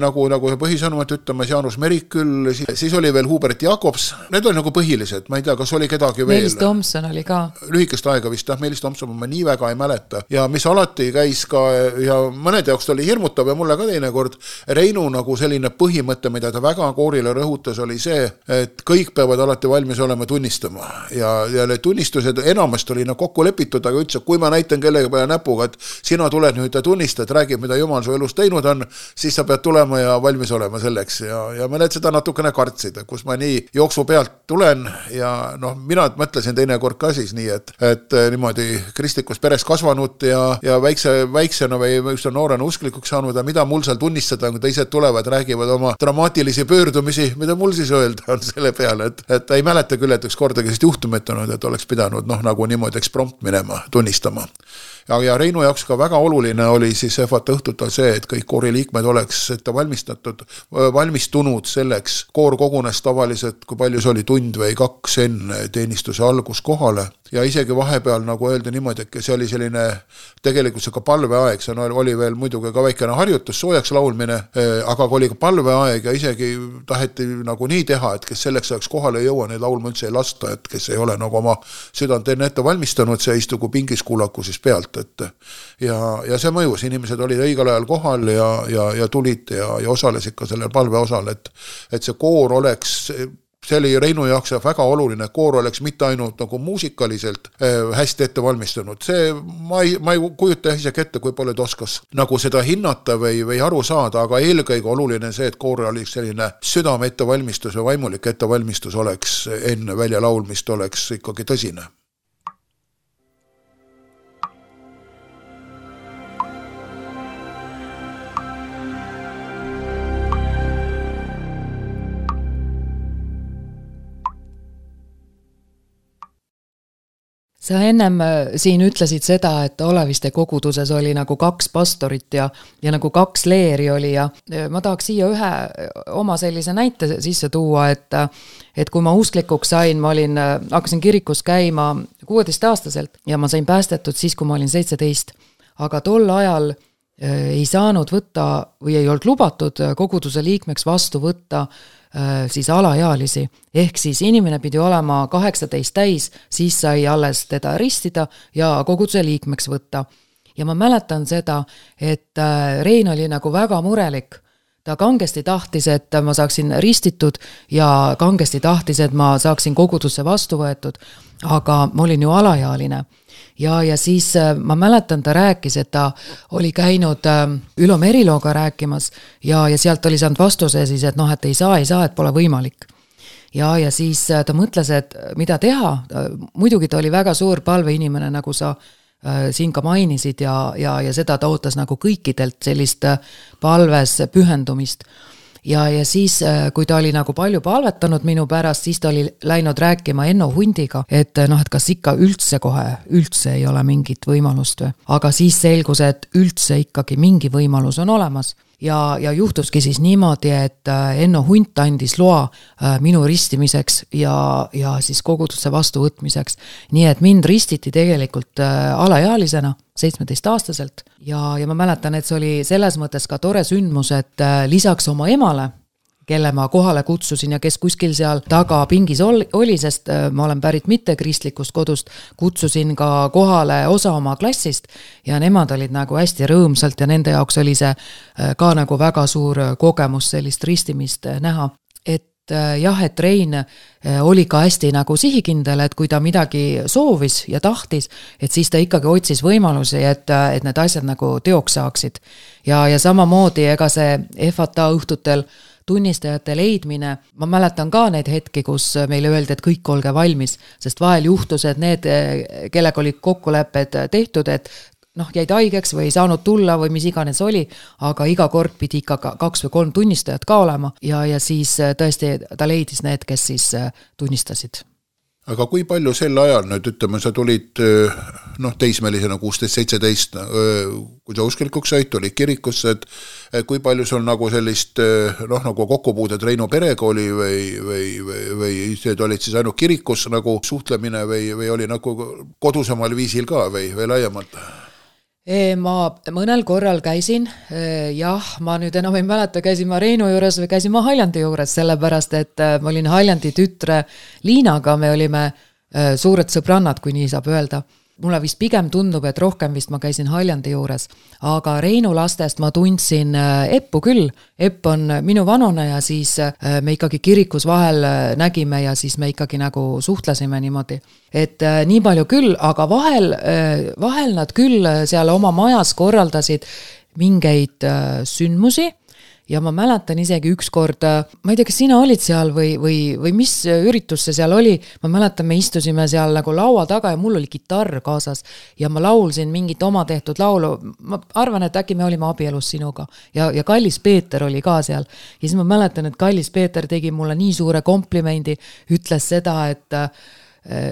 nagu põhisõnumat ütlemas Jaanus Merik küll, siis oli veel Hubert Jakobs, need oli nagu põhilised, ma ei tea, kas oli kedagi veel. Meelis Tomson oli ka. Lühikest aega vist, Meelis Tomson ma nii väga ei mäleta ja mis alati käis ka ja mõned jaoks oli hirmutav ja mulle ka teinekord Reinu nagu selline põhimõte, mida ta väga koorile rõhutas, oli see, et kõik peavad alati valmis olema tunnistama ja need tunnistused enamast oli kokku lepitud, aga ütles, et kui ma näitan kellegi peale näpuga, et sina tuled nüüd ja tunnistad, räägib, mida Jumal su elus teinud on, siis sa pead tulema ja valmis olema selleks ja mõned seda natukene kartsid, kus ma nii jooksu pealt tulen ja mina mõtlesin teinekord ka siis nii, et niimoodi kristlikus peres kasvanud ja väiksena või noorena usklikuks saanud ja mida mul seal tunnistada, kui teised tulevad, räägivad oma dramaatilisi pöördumisi, mida mul siis öelda on selle peale, et ei mäleta küll, et üks kordagi juhtumit olnud, et oleks pidanud nagu niimoodi eksprompt minema, tunnistama. ja Reinu jaoks ka väga oluline oli siis EFAT õhtutal see, et kõik kooriliikmed oleks ette valmistunud selleks. Koor kogunes tavaliselt, kui palju see oli, tund või 2 enne teenistuse algus kohale ja isegi vahepeal nagu öelda niimoodi, et see oli selline tegelikult see ka palveaeg, see oli veel muidugi ka väikene harjutus, soojaks laulmine, aga oli ka palveaeg ja isegi taheti nagu nii teha, et kes selleks ajaks kohale ei jõua, neid laulma üldse ei lasta, et kes ei ole nagu oma südant ette valmistanud, see istugu pingis kuulaku siis pealt, et ja see mõjus, inimesed olid õigel ajal kohal ja tulid ja osalesid ka sellel palveosal, et see koor oleks, see oli Reinu jaoks väga oluline, koor oleks mitte ainult nagu muusikaliselt hästi ette valmistunud. See, ma ei kujuta isegi ette, kui palju oskas nagu seda hinnata või aru saada, aga eelkõige oluline see, et koor oli selline südame ettevalmistus või vaimulik ettevalmistus oleks enne välja laulmist oleks ikkagi tõsine. Sa ennem siin ütlesid seda, et Oleviste koguduses oli nagu 2 pastorit ja nagu 2 leeri oli ja ma tahaks siia ühe oma sellise näite sisse tuua, et kui ma usklikuks sain, ma hakkasin kirikus käima 16-aastaselt ja ma sain päästetud siis, kui ma olin 17. Aga tol ajal ei saanud võtta või ei olnud lubatud koguduse liikmeks vastu võtta siis alaealisi, ehk siis inimene pidi olema 18 täis, siis sai alles teda ristida ja koguduse liikmeks võtta. Ja ma mäletan seda, et Rein oli nagu väga murelik. Ta kangesti tahtis, et ma saaksin ristitud ja kangesti tahtis, et ma saaksin kogudusse vastu võetud, aga ma olin ju alaealine. Ja siis ma mäletan, ta rääkis, et ta oli käinud Ülo Merilooga rääkimas ja sealt oli saanud vastuse siis, et noh, et ei saa, et pole võimalik. Ja siis ta mõtles, et mida teha. Muidugi ta oli väga suur palveinimene, nagu sa siin ka mainisid ja seda ta ootas nagu kõikidelt sellist palves pühendumist. Ja siis, kui ta oli nagu palju palvetanud minu pärast, siis ta oli läinud rääkima Enno Hundiga, et kas ikka üldse ei ole mingit võimalust või. Aga siis selgus, et üldse ikkagi mingi võimalus on olemas. Ja juhtuski siis niimoodi, et Enno Hunt andis loa minu ristimiseks ja siis kogudusse vastuvõtmiseks. Nii et mind ristiti tegelikult alaealisena, 17-aastaselt ja ma mäletan, et see oli selles mõttes ka tore sündmus, et lisaks oma emale, kelle ma kohale kutsusin ja kes kuskil seal taga pingis oli, sest ma olen pärit mitte kristlikust kodust, kutsusin ka kohale osa oma klassist ja nemad olid nagu hästi rõõmsalt ja nende jaoks oli see ka nagu väga suur kogemus sellist ristimist näha. Et Rein oli ka hästi nagu sihikindel, et kui ta midagi soovis ja tahtis, et siis ta ikkagi otsis võimalusi, et need asjad nagu teoks saaksid. Ja samamoodi ega see EFATA õhtutel tunnistajate leidmine, ma mäletan ka neid hetki, kus meile öeldi, et kõik olge valmis, sest vahel juhtus, et need, kellega olid kokkulepped tehtud, et jäid haigeks või ei saanud tulla või mis iganes oli, aga iga kord pidi ikka 2 või 3 tunnistajat ka olema ja siis tõesti ta leidis need, kes siis tunnistasid. Aga kui palju sel ajal, nüüd ütleme, sa tulid teismelisena 16-17, kui sa usklikuks said, tulid kirikusse, et kui palju sul nagu sellist nagu kokkupuudet Reinu perega oli või see olid siis ainult kirikus nagu suhtlemine või oli nagu kodusemal viisil ka või laiemalt? Ma mõnel korral käisin, ma nüüd enam ei mäleta, käisin ma Reinu juures või käisin ma Haljandi juures, sellepärast, et ma olin Haljandi tütre Liinaga, me olime suured sõbrannad, kui nii saab öelda. Mulle vist pigem tundub, et rohkem vist ma käisin Haljandi juures, aga Reinu lastest ma tundsin Eppu küll. Epp on minu vanune ja siis me ikkagi kirikus vahel nägime ja siis me ikkagi nagu suhtlesime niimoodi. Et nii palju küll, aga vahel nad küll seal oma majas korraldasid mingeid sündmusi. Ja ma mäletan isegi ükskord, ma ei tea, kas sina olid seal või mis üritus see seal oli, ma mäletan, me istusime seal nagu laua taga ja mul oli kitarr kaasas ja ma laulsin mingit oma tehtud laulu, ma arvan, et äkki me olime abielus sinuga ja Kallis Peeter oli ka seal ja siis ma mäletan, et Kallis Peeter tegi mulle nii suure komplimendi, ütles seda,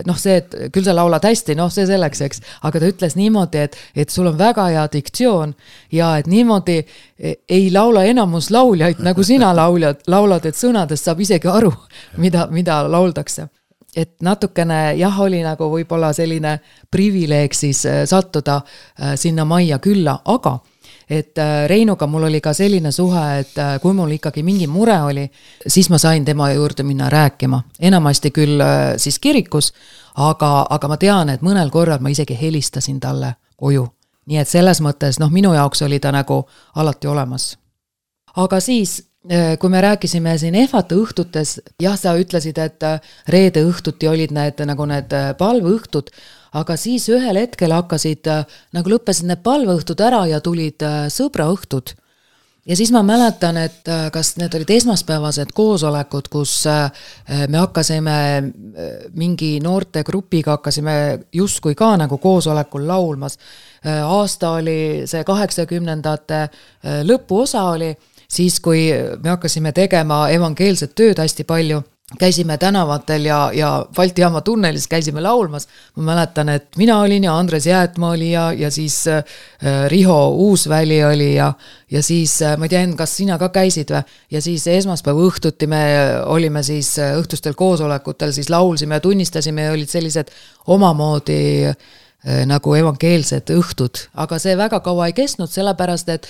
noh, see, et küll sa laulad hästi, noh, see selleks, eks, aga ta ütles niimoodi, et sul on väga hea diktsioon ja et niimoodi ei laula enamus lauljaid, nagu sina laulad, et sõnadest saab isegi aru, mida lauldakse. Et natukene jah, oli nagu võib-olla selline privileeg siis sattuda sinna majja külla, aga et Reinuga mul oli ka selline suhe, et kui mul ikkagi mingi mure oli, siis ma sain tema juurde minna rääkima. Enamasti küll siis kirikus, aga ma tean, et mõnel korral ma isegi helistasin talle koju. Nii et selles mõttes, noh, minu jaoks oli ta nagu alati olemas. Aga siis kui me rääkisime siin EHVAT õhtutes, jah, sa ütlesid, et reede õhtuti olid need palveõhtud, aga siis ühel hetkel hakkasid, nagu lõppesid need palveõhtud ära ja tulid sõbraõhtud. Ja siis ma mäletan, et kas need olid esmaspäevased koosolekud, kus me hakkasime mingi noorte grupiga, hakkasime justkui ka nagu koosolekul laulmas. Aasta oli see 80ndate lõpuosa oli, siis kui me hakkasime tegema evangeelset tööd hästi palju, käisime tänavatel ja Balti jaama tunnelis käisime laulmas. Ma mäletan, et mina olin ja Andres Jäätmaa oli ja siis Riho Uusväli oli ja siis, ma tean, kas sina ka käisid või? Ja siis esmaspäeva õhtuti me olime siis õhtustel koosolekutel, siis laulsime ja tunnistasime ja olid sellised omamoodi nagu evangeelsed õhtud. Aga see väga kaua ei kestnud, sellepärast, et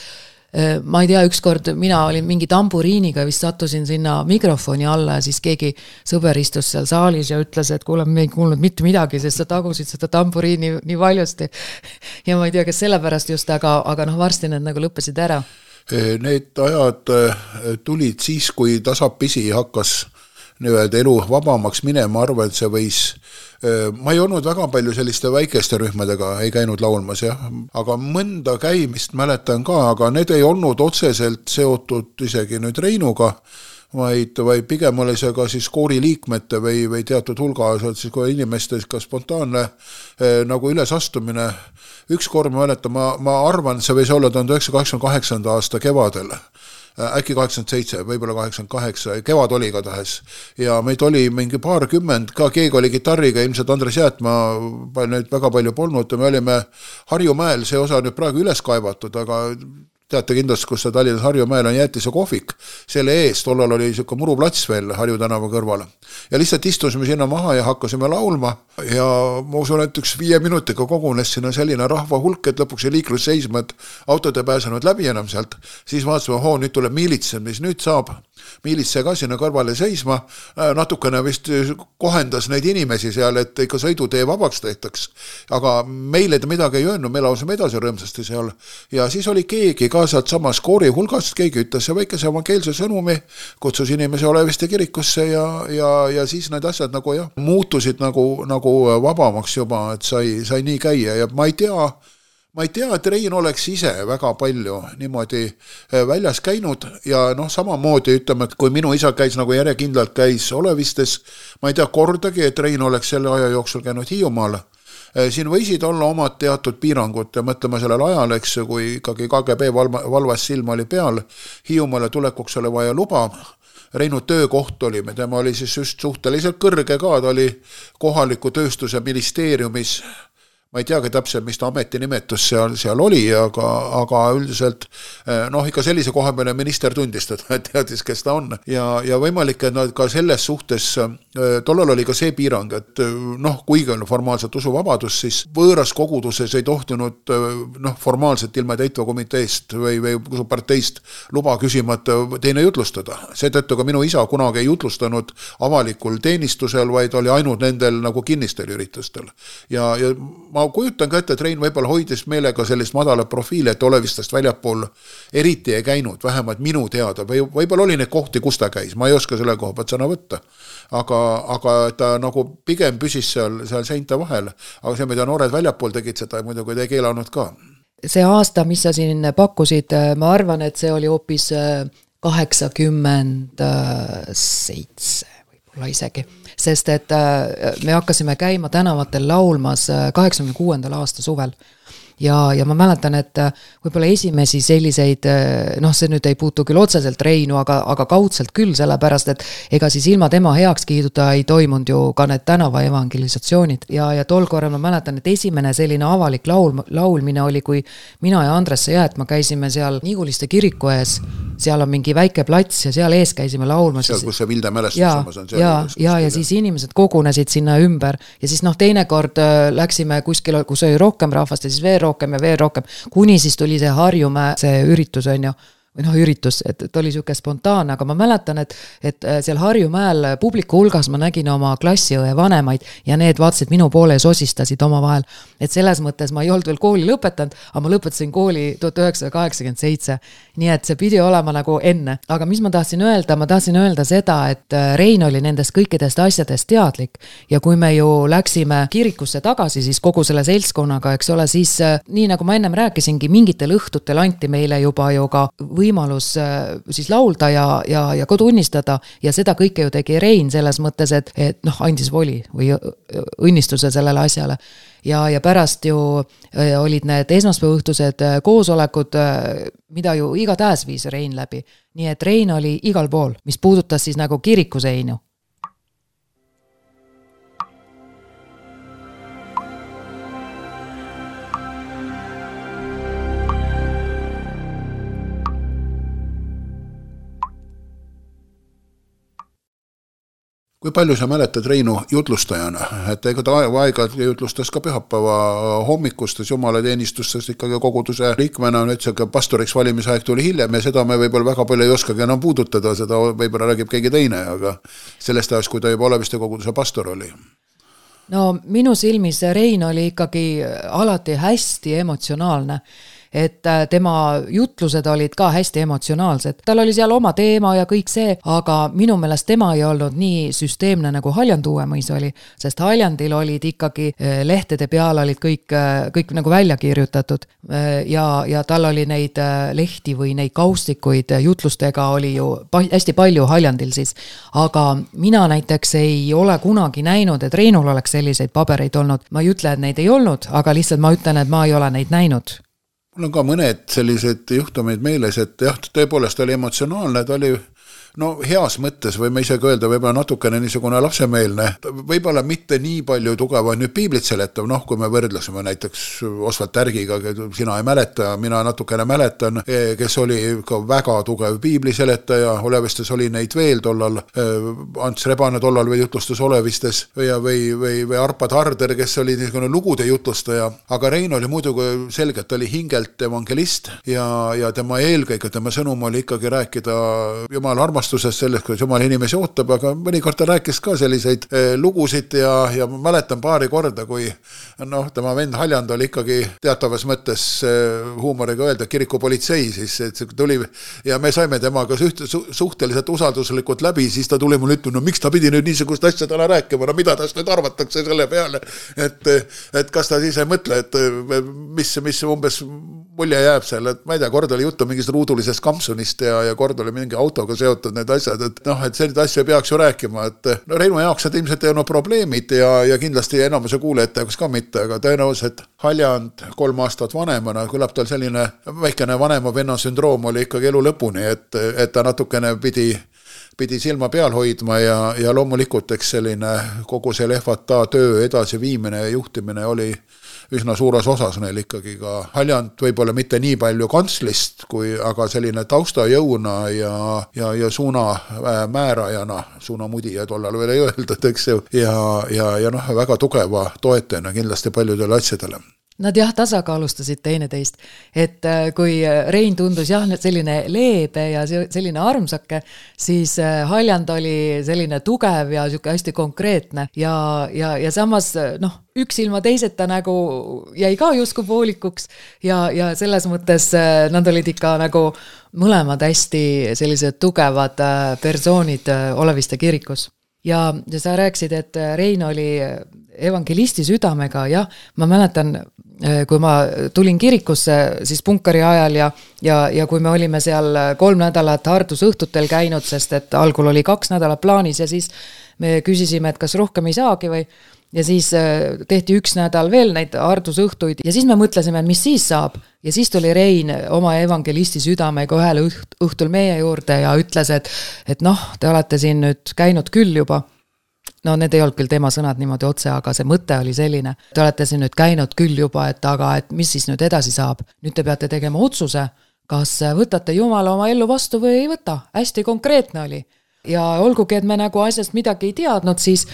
ma ei tea, ükskord mina olin mingi tamburiiniga, vist sattusin sinna mikrofoni alla ja siis keegi sõber istus seal saalis ja ütles, et kuule, me ei kuulnud mitte midagi, sest sa tagusid seda tamburiini nii valjusti. Ja ma ei tea, kas sellepärast just, aga noh, varsti need nagu lõppesid ära. Need ajad tulid siis, kui tasapisi hakkas nii-öelda elu vabamaks minema, arvan, et see võis. Ma ei olnud väga palju selliste väikeste rühmadega, ei käinud laulmas, jah. Aga mõnda käimist mäletan ka, aga need ei olnud otseselt seotud isegi nüüd Reinuga, vaid pigem oli see ka siis koori liikmete või teatud hulga siis kui inimeste ka spontaanne nagu ülesastumine. Üks kord ma mäletan, ma arvan, see võis olla 1988. aasta kevadel. Äkki 87, võib-olla 88, kevad oli ka tahes. Ja meid oli mingi paarkümmend, ka keegi oli gitarriga, ilmselt Andres Jäätmaa, neid väga palju polnud, me olime Harjumäel, see osa nüüd praegu üles kaevatud, aga teate kindlasti, kus see Tallinnas Harjumäel on Jäätise kohvik, selle ees, tollal oli selline muruplats veel Harju tänava kõrval. Ja lihtsalt istusime sinna maha ja hakkasime laulma ja ma usun, et 5 minutiga kogunes sinna selline rahva hulk, et lõpuks ei liiklus seisma, et autod ei pääsenud läbi enam sealt. Siis vaatasime, nüüd tuleb miilitse, mis nüüd saab. Miilitse ka sinna kõrvale seisma, natukene vist kohendas neid inimesi seal, et ikka sõidutee vabaks tehtaks. Aga meile ta midagi ei öelnud, me laulsime edasi rõõmsasti seal. Ja siis oli keegi ka sealt samas koori hulgast, keegi ütles see väikese evangeelse sõnumi, kutsus inimese oleviste kirikusse ja siis need asjad nagu jah, muutusid nagu vabamaks juba, et sai nii käia ja ma ei tea, et Rein oleks ise väga palju niimoodi väljas käinud ja noh, samamoodi ütleme, et kui minu isa käis nagu järjekindlalt käis olevistes, ma ei tea kordagi, et Rein oleks selle aja jooksul käinud Hiiumaal. Siin võisid olla omad teatud piirangud ja mõtlema sellel ajal, eks, kui ikkagi KGB valvas silma oli peal, Hiiumaale tulekuks oli vaja luba, Reinu töökoht oli, tema oli siis just suhteliselt kõrge ka, ta oli kohaliku tööstuse ministeeriumis, ma ei teagi täpselt, mis ta ametinimetus seal oli, aga üldiselt noh, ikka sellise koha peale minister tundis teda, teadis, kes ta on. Ja võimalik, et nad ka selles suhtes, tollal oli ka see piirang, et noh, kuigi on formaalselt usuvabadus, siis võõras koguduses ei tohtinud noh, formaalselt ilma täitva komiteest või usuparteist luba küsimata teine jutlustada. Seetõttu ka minu isa kunagi ei jutlustanud avalikul teenistusel, vaid oli ainult nendel nagu kinnistel üritustel. Ja ma kujutan ka ette, et Rein võib-olla hoidis meelega sellist madala profiili, et olevistest väljapool eriti ei käinud, vähemalt minu teada, või võib-olla oli neid kohti, kus ta käis, ma ei oska selle koha pealt sõna võtta, aga ta nagu pigem püsis seal seinte vahel, aga see, mida noored väljapool tegid seda, muidugi ei keelanud ka. See aasta, mis sa siin pakkusid, ma arvan, et see oli hoopis 87 võib-olla isegi. Sest et me hakkasime käima tänavatel laulmas 86. aasta suvel. ja ma mäletan, et võib-olla esimesi selliseid, see nüüd ei puutu küll otseselt Reinu, aga kaudselt küll, sellepärast, et ega siis ilma tema heakskiiduta ei toimunud ju ka need tänava evangelisatsioonid ja tol korral ma mäletan, et esimene selline avalik laulmine oli, kui mina ja Andres Jäätma käisime seal Niguliste kiriku ees, seal on mingi väike plats ja seal ees käisime laulma. Seal, kus see Vilde mälestus on. Ja siis inimesed kogunesid sinna ümber ja siis teinekord läksime kuskil, kus oli rohkem rahvast ja siis veel rohkem, kuni siis tuli see Harjumäe, see üritus on ju, või üritus, et oli siuke spontaanne, aga ma mäletan, et seal Harjumäel publiku hulgas ma nägin oma klassiõe vanemaid ja need vaatasid minu poole ja sosistasid oma vahel. Et selles mõttes ma ei olnud veel kooli lõpetanud, aga ma lõpetasin kooli 1987, nii et see pidi olema nagu enne. Aga mis ma tahtsin öelda seda, et Rein oli nendest kõikidest asjadest teadlik ja kui me ju läksime kirikusse tagasi, siis kogu selle seltskonnaga, eks ole, siis nii nagu ma ennem rääkisingi, mingitel õhtutel anti meile juba ju ka võimalus siis laulda ja ka tunnistada ja seda kõike ju tegi Rein selles mõttes, et andis voli või õnnistuse sellele asjale. Ja pärast ju olid need esmaspäevaõhtused koosolekud, mida ju iga tähes viis Rein läbi. Nii et Rein oli igal pool, mis puudutas siis nagu kirikuseinu. Kui palju sa mäletad Reinu jutlustajana, et ega ta aega jutlustas ka pühapäeva hommikustes jumalateenistustes ikkagi koguduse liikmena, nüüd see pastoriks valimisaeg tuli hiljem ja seda me võib-olla väga palju ei oskagi enam puudutada, seda võib-olla räägib keegi teine, aga sellest ajast, kui ta juba Oleviste koguduse pastor oli. No minu silmis Rein oli ikkagi alati hästi emotsionaalne, et tema jutlused olid ka hästi emotsionaalsed. Tal oli seal oma teema ja kõik see, aga minu meelest tema ei olnud nii süsteemne nagu Haljand Uuemõis oli, sest Haljandil olid ikkagi lehtede peal olid kõik nagu välja kirjutatud ja tal oli neid lehti või neid kaustikuid jutlustega oli ju hästi palju Haljandil siis, aga mina näiteks ei ole kunagi näinud, et Reinul oleks selliseid pabereid olnud. Ma ei ütle, et neid ei olnud, aga lihtsalt ma ütlen, et ma ei ole neid näinud. Mul on ka mõned sellised juhtumid meeles, et jah, tõepoolest oli emotsionaalne, ta oli heas mõttes või ma isegi öelda võib-olla natukene niisugune lapsemeelne, võib-olla mitte nii palju tugeva nüüd piiblit seletav, kui me võrdlasime näiteks Osvald Tärgiga, sina ei mäleta, mina natukene mäletan, kes oli ka väga tugev piibli seletaja, Olevistes oli neid veel tollal, Ants Rebane tollal või jutlustas Olevistes või Arpad Harder, kes oli niisugune lugude jutlustaja, aga Rein oli muidugi selgelt, ta oli hingelt evangelist ja tema eelkõige, tema sõnum oli ikkagi rääkida Jumala armastusest sellest, kuidas Jumal inimesi ootab, aga mõnikord ta rääkis ka selliseid lugusid ja ma mäletan paari korda, kui tema vend Haljand oli ikkagi teatavas mõttes huumoriga öelda kirikupolitsei, siis see tuli ja me saime temaga suhteliselt usalduslikult läbi, siis ta tuli mulle ütlema, miks ta pidi nüüd niisugust asja täna rääkima, mida tast nüüd arvatakse selle peale, et kas ta siis ei mõtle, et mis umbes mulje jääb seal, et ma ei tea, kord oli juttu mingist ruudulisest kampsunist ja kord oli mingi autoga seotud need asjad, et selline asja peaks ju rääkima, et Reinu jaoks need ilmselt ei olnud probleemid ja kindlasti enamuse kuulajate jaoks ka mitte, aga tõenäoliselt Haljand 3 aastat vanemana, kõlab tal selline väikene vanema venna sündroom oli ikkagi elu lõpuni, et ta natukene pidi silma peal hoidma ja loomulikult eks selline kogu see lehvata töö edasi viimine ja juhtimine oli üsna suures osas neil ikkagi ka Haljand võib-olla mitte nii palju kantslist, aga selline taustajõuna ja suuna määrajana, suuna mudija tollal veel ei öeldud, eks ju, ja väga tugeva toetajana kindlasti paljudele asjadele. Nad tasakaalustasid teineteist, et kui Rein tundus selline leebe ja selline armsake, siis Haljand oli selline tugev ja hästi konkreetne ja samas üks ilma teiseta nagu jäi ka justkui poolikuks ja selles mõttes nad olid ikka nagu mõlemad hästi sellised tugevad persoonid Oleviste kirikus. Ja sa rääksid, et Rein oli evangelisti südamega, ma mäletan, kui ma tulin kirikusse siis punkari ajal ja kui me olime seal 3 nädalat Hardus õhtutel käinud, sest et algul oli 2 nädalat plaanis ja siis me küsisime, et kas rohkem ei saagi või ja siis tehti 1 nädal veel neid hardusõhtuid ja siis me mõtlesime, mis siis saab. Ja siis tuli Rein oma evangelisti südamega ühel õhtul meie juurde ja ütles, et noh, te olete siin nüüd käinud küll juba. No need ei olnud küll tema sõnad niimoodi otse, aga see mõte oli selline. Te olete siin nüüd käinud küll juba, aga mis siis nüüd edasi saab? Nüüd te peate tegema otsuse, kas võtate Jumala oma ellu vastu või ei võta. Hästi konkreetne oli. Ja olgugi, et me nagu asjast midagi ei teadnud, siis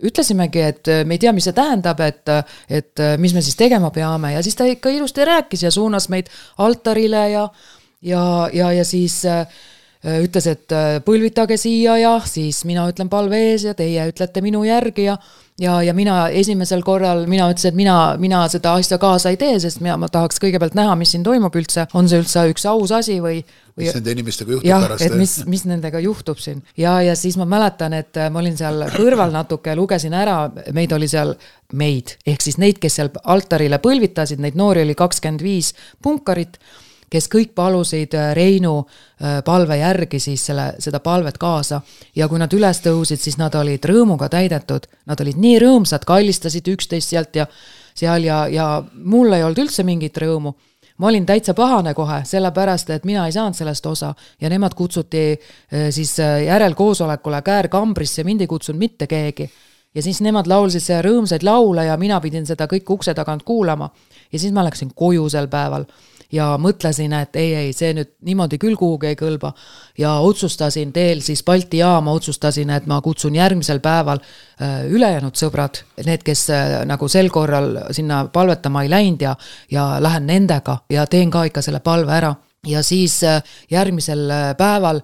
ütlesimegi, et me ei tea, mis see tähendab, et mis me siis tegema peame ja siis ta ikka ilusti rääkis ja suunas meid altarile ja siis ütles, et põlvitage siia ja siis mina ütlen palve ees ja teie ütlete minu järgi ja mina esimesel korral, mina ütlesin, et mina seda asja kaasa ei tee, sest ma tahaks kõigepealt näha, mis siin toimub üldse, on see üldse üks aus asi või mis nende inimestega juhtub pärast? Et mis nendega juhtub siin. Ja siis ma mäletan, et ma olin seal kõrval natuke, lugesin ära, meid, ehk siis neid, kes seal altarile põlvitasid, neid noori oli 25 punkarit, kes kõik palusid Reinu palve järgi siis seda palvet kaasa ja kui nad üles tõusid, siis nad olid rõõmuga täidetud, nad olid nii rõõmsad, kallistasid üksteist sealt ja seal ja mul ei olnud üldse mingit rõõmu. Ma olin täitsa pahane kohe, sellepärast, et mina ei saanud sellest osa ja nemad kutsuti siis järelkoosolekule käärkambrisse, mind ei kutsunud mitte keegi. Ja siis nemad laulsid see rõõmsaid laule ja mina pidin seda kõik ukse tagant kuulama. Ja siis ma läksin koju sel päeval ja mõtlesin, et ei, see nüüd niimoodi küll kuhugi ei kõlba. Ja otsustasin teel siis Balti jaama, otsustasin, et ma kutsun järgmisel päeval ülejäänud sõbrad, need, kes nagu sel korral sinna palvetama ei läinud ja lähen nendega ja teen ka ikka selle palve ära. Ja siis järgmisel päeval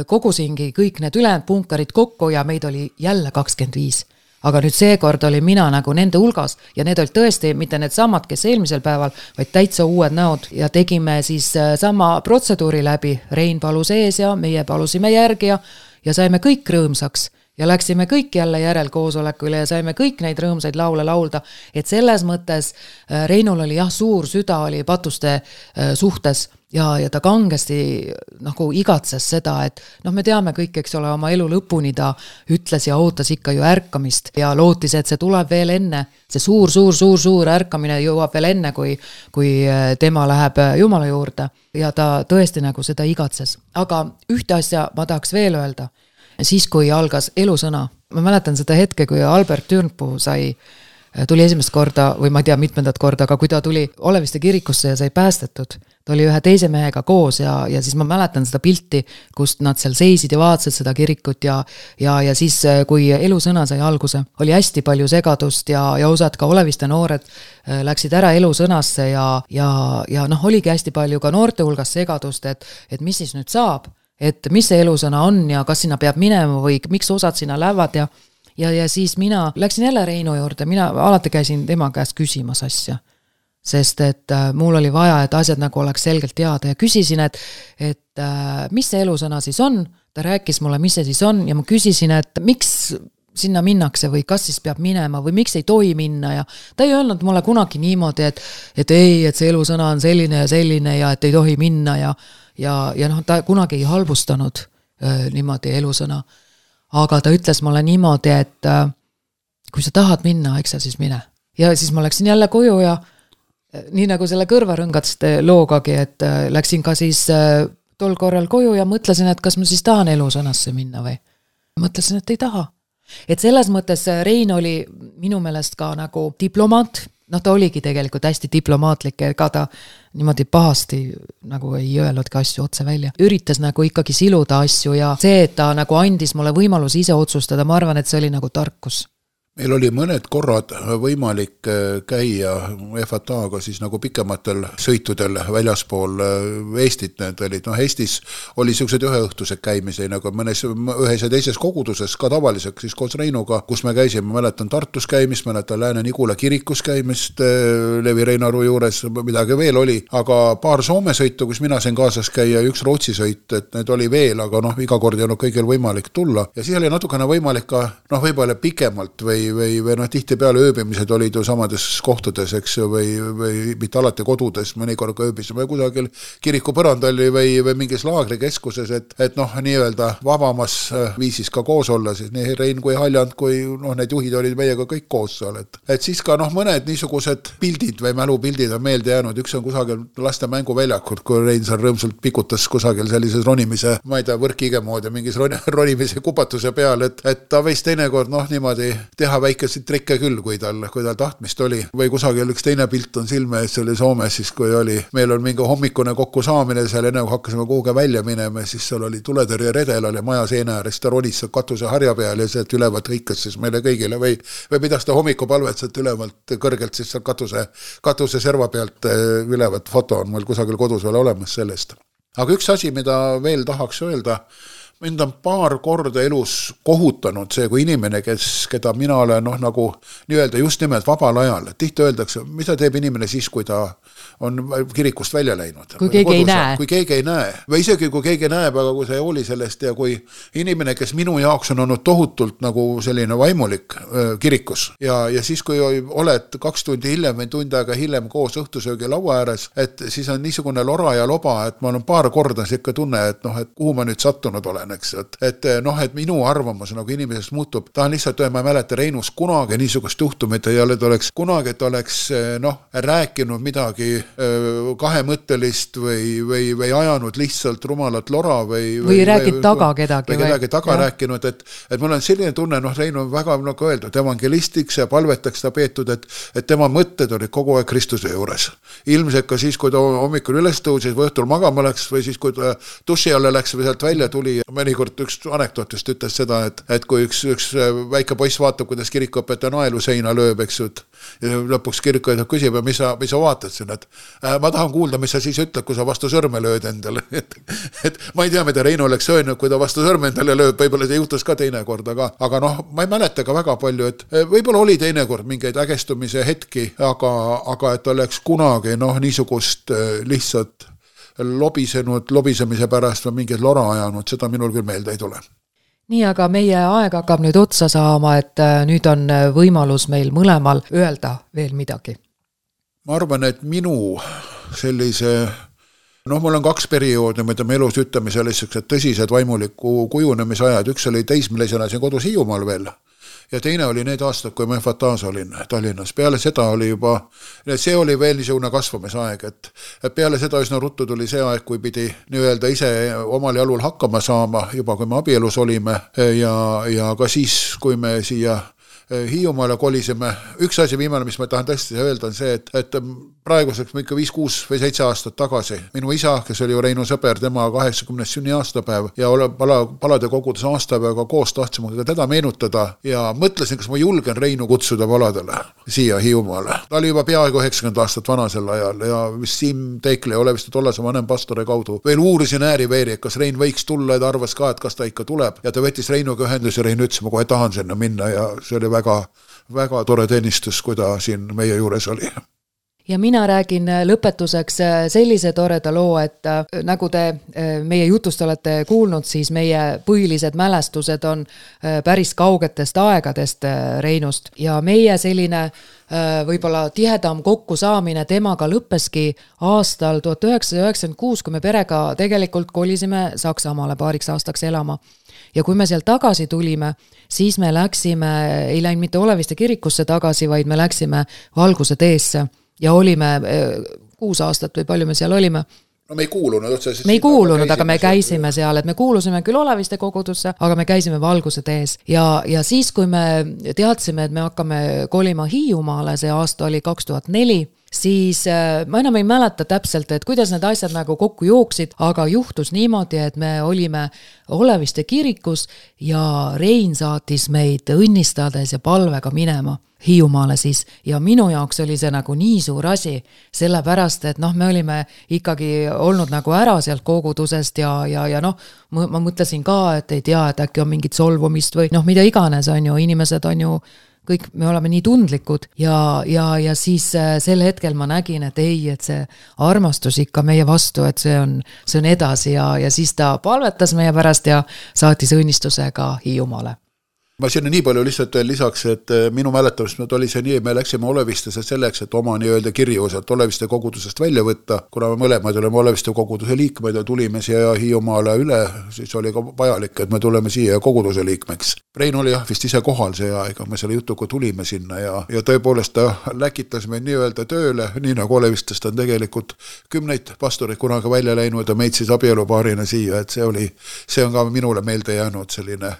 kogusingi kõik need ülejäänud punkarid kokku ja meid oli jälle 25. Aga nüüd seekord oli mina nagu nende hulgas ja need olid tõesti mitte need samad, kes eelmisel päeval, vaid täitsa uued näod ja tegime siis sama protseduuri läbi. Rein palus ees ja meie palusime järgi ja saime kõik rõõmsaks ja läksime kõik jälle järelkoosolekule ja saime kõik neid rõõmsaid laule laulda, et selles mõttes Reinul oli suur süda oli patuste suhtes ja ta kangesti nagu igatses seda, et me teame kõik, eks ole, oma elu lõpuni ta ütles ja ootas ikka ju ärkamist ja lootis, et see tuleb veel enne, see suur ärkamine jõuab veel enne, kui tema läheb Jumala juurde ja ta tõesti nagu seda igatses. Aga ühte asja ma tahaks veel öelda, siis kui algas elusõna, ma mäletan seda hetke, kui Albert Türnpuu tuli esimest korda või ma ei tea mitmendat korda, aga kui ta tuli Oleviste kirikusse ja sai päästetud, ta oli ühe teise mehega koos ja siis ma mäletan seda pilti, kust nad seal seisid ja vaatasid seda kirikut ja siis kui elusõna sai alguse, oli hästi palju segadust ja osad ka Oleviste noored läksid ära elusõnasse ja oligi hästi palju ka noorte hulgas segadust, et mis siis nüüd saab, et mis see elusõna on ja kas sinna peab minema või miks osad sinna lähevad ja siis mina läksin jälle Reinu juurde, mina alati käisin tema käest küsimas asja, sest et mul oli vaja, et asjad nagu oleks selgelt teada ja küsisin, et mis see elusõna siis on, ta rääkis mulle, mis see siis on ja ma küsisin, et miks sinna minnakse või kas siis peab minema või miks ei tohi minna ja ta ei öelnud mulle kunagi niimoodi, et see elusõna on selline ja et ei tohi minna ja ta kunagi ei halvustanud niimoodi elusõna. Aga ta ütles mulle niimoodi, et kui sa tahad minna, eks sa siis mine. Ja siis ma läksin jälle koju ja nii nagu selle kõrvarõngatste loogagi, et läksin ka siis tol korral koju ja mõtlesin, et kas ma siis tahan elusõnasse minna või. Mõtlesin, et ei taha. Et selles mõttes Rein oli minu meelest ka nagu diplomaat, ta oligi tegelikult hästi diplomaatlik, ega ta niimoodi pahasti nagu ei öelnudki asju otse välja. Üritas nagu ikkagi siluda asju ja see, et ta nagu andis mulle võimalus ise otsustada, ma arvan, et see oli nagu tarkus. Meil oli mõned korrad võimalik käia FATA-ga siis nagu pikematel sõitudel väljaspool Eestit, need olid, Eestis oli sellised üheõhtused käimised, nagu mõnes ühes ja teises koguduses ka tavaliseks siis koos Reinuga, kus me käisime, mäletan Tartus käimist, mäletan Lääne-Nigula kirikus käimist Levi Reinaru juures, midagi veel oli, aga paar Soome sõitu, kus mina sain kaasas käia, üks Rootsi sõit, et need oli veel, aga iga kord ei olnud kõigil võimalik tulla ja siis oli natukene võimalik ka võib-olla pikemalt või või noh, tihtipeale ööbimised olid ju samades kohtades, eks ju, või mitte alati kodudes, mõnikord ka ööbisime kusagil kiriku põrandal või mingis laagrikeskuses, et noh, nii-öelda vabamas viisis ka koos olla, siis nii Rein kui Haljand, kui noh, need juhid olid meiega kõik koos seal, et siis ka noh, mõned niisugused pildid või mälupildid on meelde jäänud, üks on kusagil laste mänguväljakult, kui Rein seal rõõmsalt pikutas kusagil sellises ronimise, ma ei tea, võrkige moodi, mingis ronimise kupatuse peal, et ta võis teinekord noh, niimoodi teha väikeseid trikke küll, kui tal tahtmist oli. Või kusagil üks teine pilt on silme ees, see oli Soomes siis, kui oli, meil on mingi hommikune kokkusaamine seal, enne kui hakkasime kuhugi välja minema, siis seal oli tuletõrje redel, oli maja seina ääres, ta ronis katuse harja peal ja sealt ülevalt hõikas siis meile kõigile või pidas ta hommikupalvet sealt ülevalt kõrgelt siis seal katuse serva pealt ülevalt foto on mul kusagil kodus veel olemas sellest. Aga üks asi, mida veel tahaks öelda, mind on paar korda elus kohutanud see, kui inimene, keda mina olen noh, nagu nii-öelda just nimelt vabal ajal, tihti öeldakse, mida teeb inimene siis, kui ta on kirikust välja läinud. Kui keegi ei näe. Kui keegi ei näe. Või isegi kui keegi näeb, aga kui see ei hooli sellest ja kui inimene, kes minu jaoks on olnud tohutult nagu selline vaimulik kirikus ja siis, kui oled 2 tundi hiljem või tund aega hiljem koos õhtusöögi laua ääres, et siis on niisugune lora ja loba, et ma olen paar korda siuke tunne, et noh, et kuhu ma nüüd sattunud olen, eks, et noh, et minu arvamus nagu inimesest muutub. Tahan lihtsalt öelda, ma ei mäleta Reinus kunagi niisugust juhtumit ja et oleks noh, rääkinud midagi kahemõttelist või ajanud lihtsalt rumalat lora või räägid taga kedagi. Või kedagi taga rääkinud, et mul on selline tunne, noh, Reinu on väga nagu öeldud, evangelistiks ja palvetaks ta peetud, et tema mõtted olid kogu aeg Kristuse juures. Ilmselt ka siis, kui ta hommikul üles tõusis või õhtul magama läks või siis, kui ta duši alla läks või sealt välja tuli. Mõnikord üks anekdootist ütles seda, et kui üks väike poiss vaatab, kuidas kirikuõpetaja naelu seina lööb, eks ju, ja lõpuks kirikuõpetaja küsib, mis sa vaatad siin, et ma tahan kuulda, mis sa siis ütled, kui sa vastu sõrme lööd endale. Et ma ei tea, mida Reino oleks öelnud, kui ta vastu sõrme endale lööb, võib-olla see juhtus ka teinekord, aga noh, ma ei mäleta ka väga palju, et võib-olla oli teinekord mingeid ägestumise hetki, aga et oleks kunagi noh, niisugust lihtsalt lobisemise pärast või mingit lora ajanud, seda minul küll meelde ei tule. Nii, aga meie aeg hakkab nüüd otsa saama, et nüüd on võimalus meil mõlemal öelda veel midagi. Ma arvan, et minu sellise, noh, mul on 2 perioodi, mida me elus ütleme selliseks tõsised vaimuliku kujunemisajad. Üks oli teismelisena siin kodus Hiiumaal veel ja teine oli need aastad, kui ma FATAs olin Tallinnas. Peale seda oli juba, see oli veel niisugune kasvamisaeg, et peale seda üsna ruttu tuli see aeg, kui pidi nii-öelda ise omal jalul hakkama saama, juba kui me abielus olime ja ka siis, kui me siia Hiiumaale kolisime. Üks asi viimane, mis ma tahan tõesti öelda, on see, et praeguseks ikka 5, 6 või 7 aastat tagasi minu isa, kes oli ju Reinu sõber, tema 80. sünni aastapäev ja palade kogudes aastapäeva koos tahtsime ka teda meenutada ja mõtlesin, kas ma julgen Reinu kutsuda paladele siia Hiiumaale. Ta oli juba peaaegu 90 aastat vana sel ajal ja Siim Teikli ole vist tollase vanem pastori kaudu veel uurisin ääri-veeri, et kas Rein võiks tulla ja ta arvas ka, et kas ta ikka tuleb ja ta võttis Reinuga ühendus ja Rein ütles, ma kohe tahan sinna minna ja see oli väga tore teenistus, kui ta siin meie juures oli. Ja mina räägin lõpetuseks sellise toreda loo, et nagu te meie jutust olete kuulnud, siis meie põhilised mälestused on päris kaugetest aegadest Reinust ja meie selline võib-olla tihedam kokkusaamine temaga lõppeski aastal 1996, kui me perega tegelikult kolisime Saksamaale paariks aastaks elama. Ja kui me sealt tagasi tulime, siis me läksime, ei läinud mitte Oleviste kirikusse tagasi, vaid me läksime Valguse teesse ja olime 6 aastat või palju me seal olime. No me ei kuulunud otseselt. Me ei kuulunud, aga me käisime seal, et me kuulusime küll Oleviste kogudusse, aga me käisime Valguse tees. Ja siis, kui me teadsime, et me hakkame kolima Hiiumaale, see aasta oli 2004, siis ma enam ei mäleta täpselt, et kuidas need asjad nagu kokku jooksid, aga juhtus niimoodi, et me olime Oleviste kirikus ja Rein saatis meid õnnistades ja palvega minema Hiiumaale siis ja minu jaoks oli see nagu nii suur asi, sellepärast, et noh, me olime ikkagi olnud nagu ära sealt kogudusest ja noh, ma mõtlesin ka, et ei tea, et äkki on mingit solvumist või noh, mida iganes on ju, inimesed on ju kõik me oleme nii tundlikud ja siis sel hetkel ma nägin, et ei, et see armastus ikka meie vastu, et see on edasi ja siis ta palvetas meie pärast ja saatis õnnistusega Hiiumaale. ma sinna nii palju lihtsalt veel lisaks, et minu mäletamist oli see nii, me läksime Olevistesse selleks, et oma nii-öelda kirjuosad Oleviste kogudusest välja võtta, kuna me mõlemad oleme Oleviste koguduse liikmeid ja tulime siia Hiiumaale üle, siis oli ka vajalik, et me tuleme siia koguduse liikmeks. Rein oli vist ise kohal see aega, me selle jutuga tulime sinna ja tõepoolest ta läkitas meid nii-öelda tööle, nii nagu Olevistest on tegelikult 10 pastoreid kunagi välja läinud ja meid siis abielupaarina siia, et see on ka minule meelde jäänud selline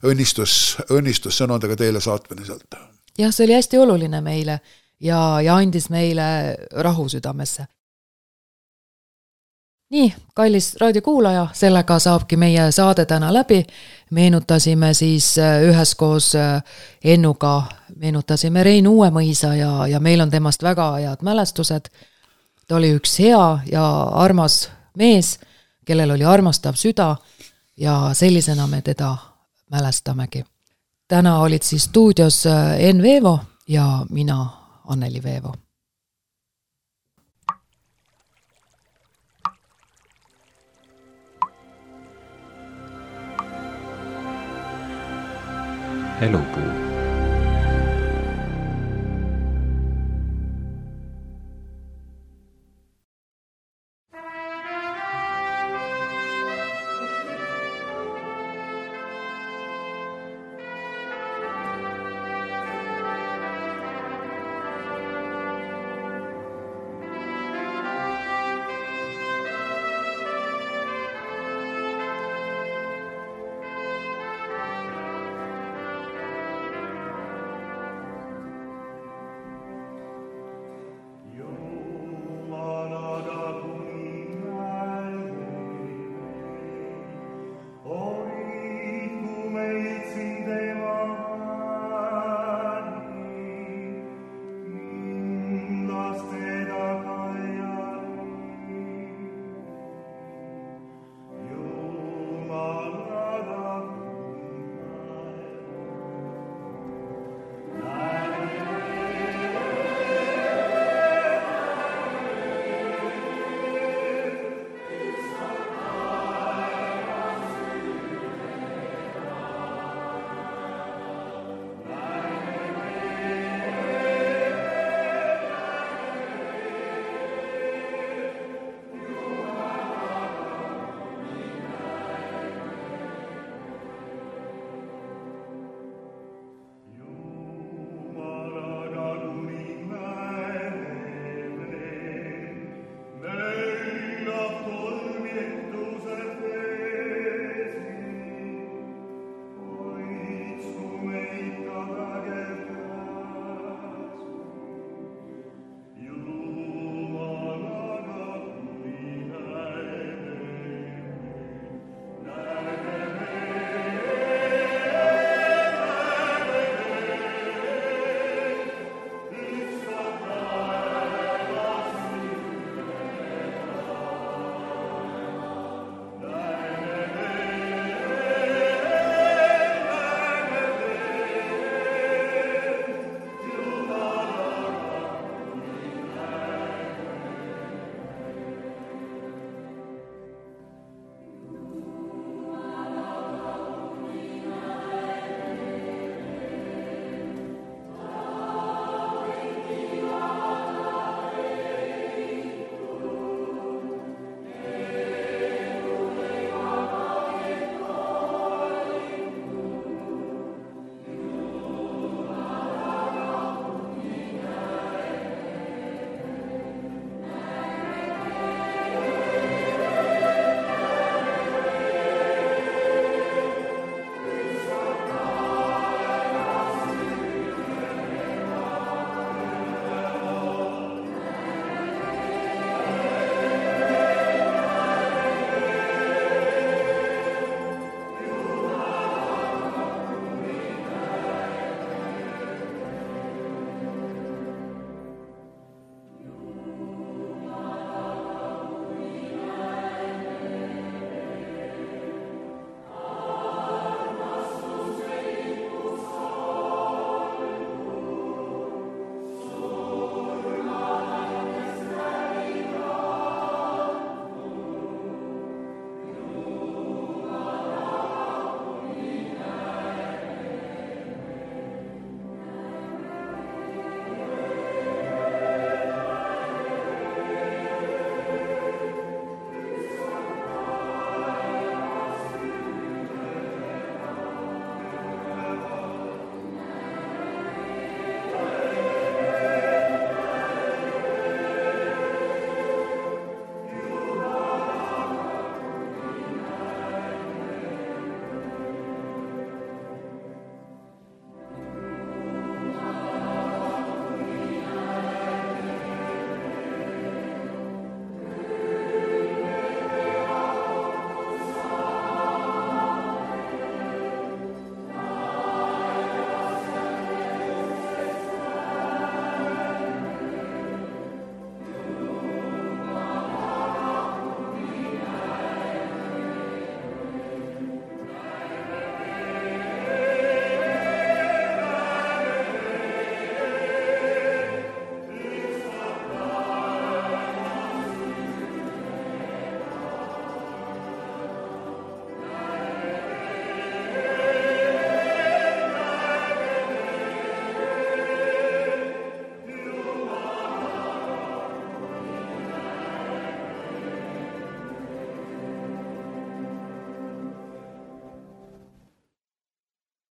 õnnistussõnadega teile saatmine sealt. Jah, see oli hästi oluline meile ja andis meile rahu südamesse. Nii, kallis raadiokuulaja, sellega saabki meie saade täna läbi. Meenutasime siis üheskoos Ennuga, meenutasime Rein Uuemõisa ja meil on temast väga head mälestused. Ta oli üks hea ja armas mees, kellel oli armastav süda ja sellisena me teda mälestamegi. Täna olid siis stuudios Enn Veevo ja mina, Anneli Veevo. Elupuu.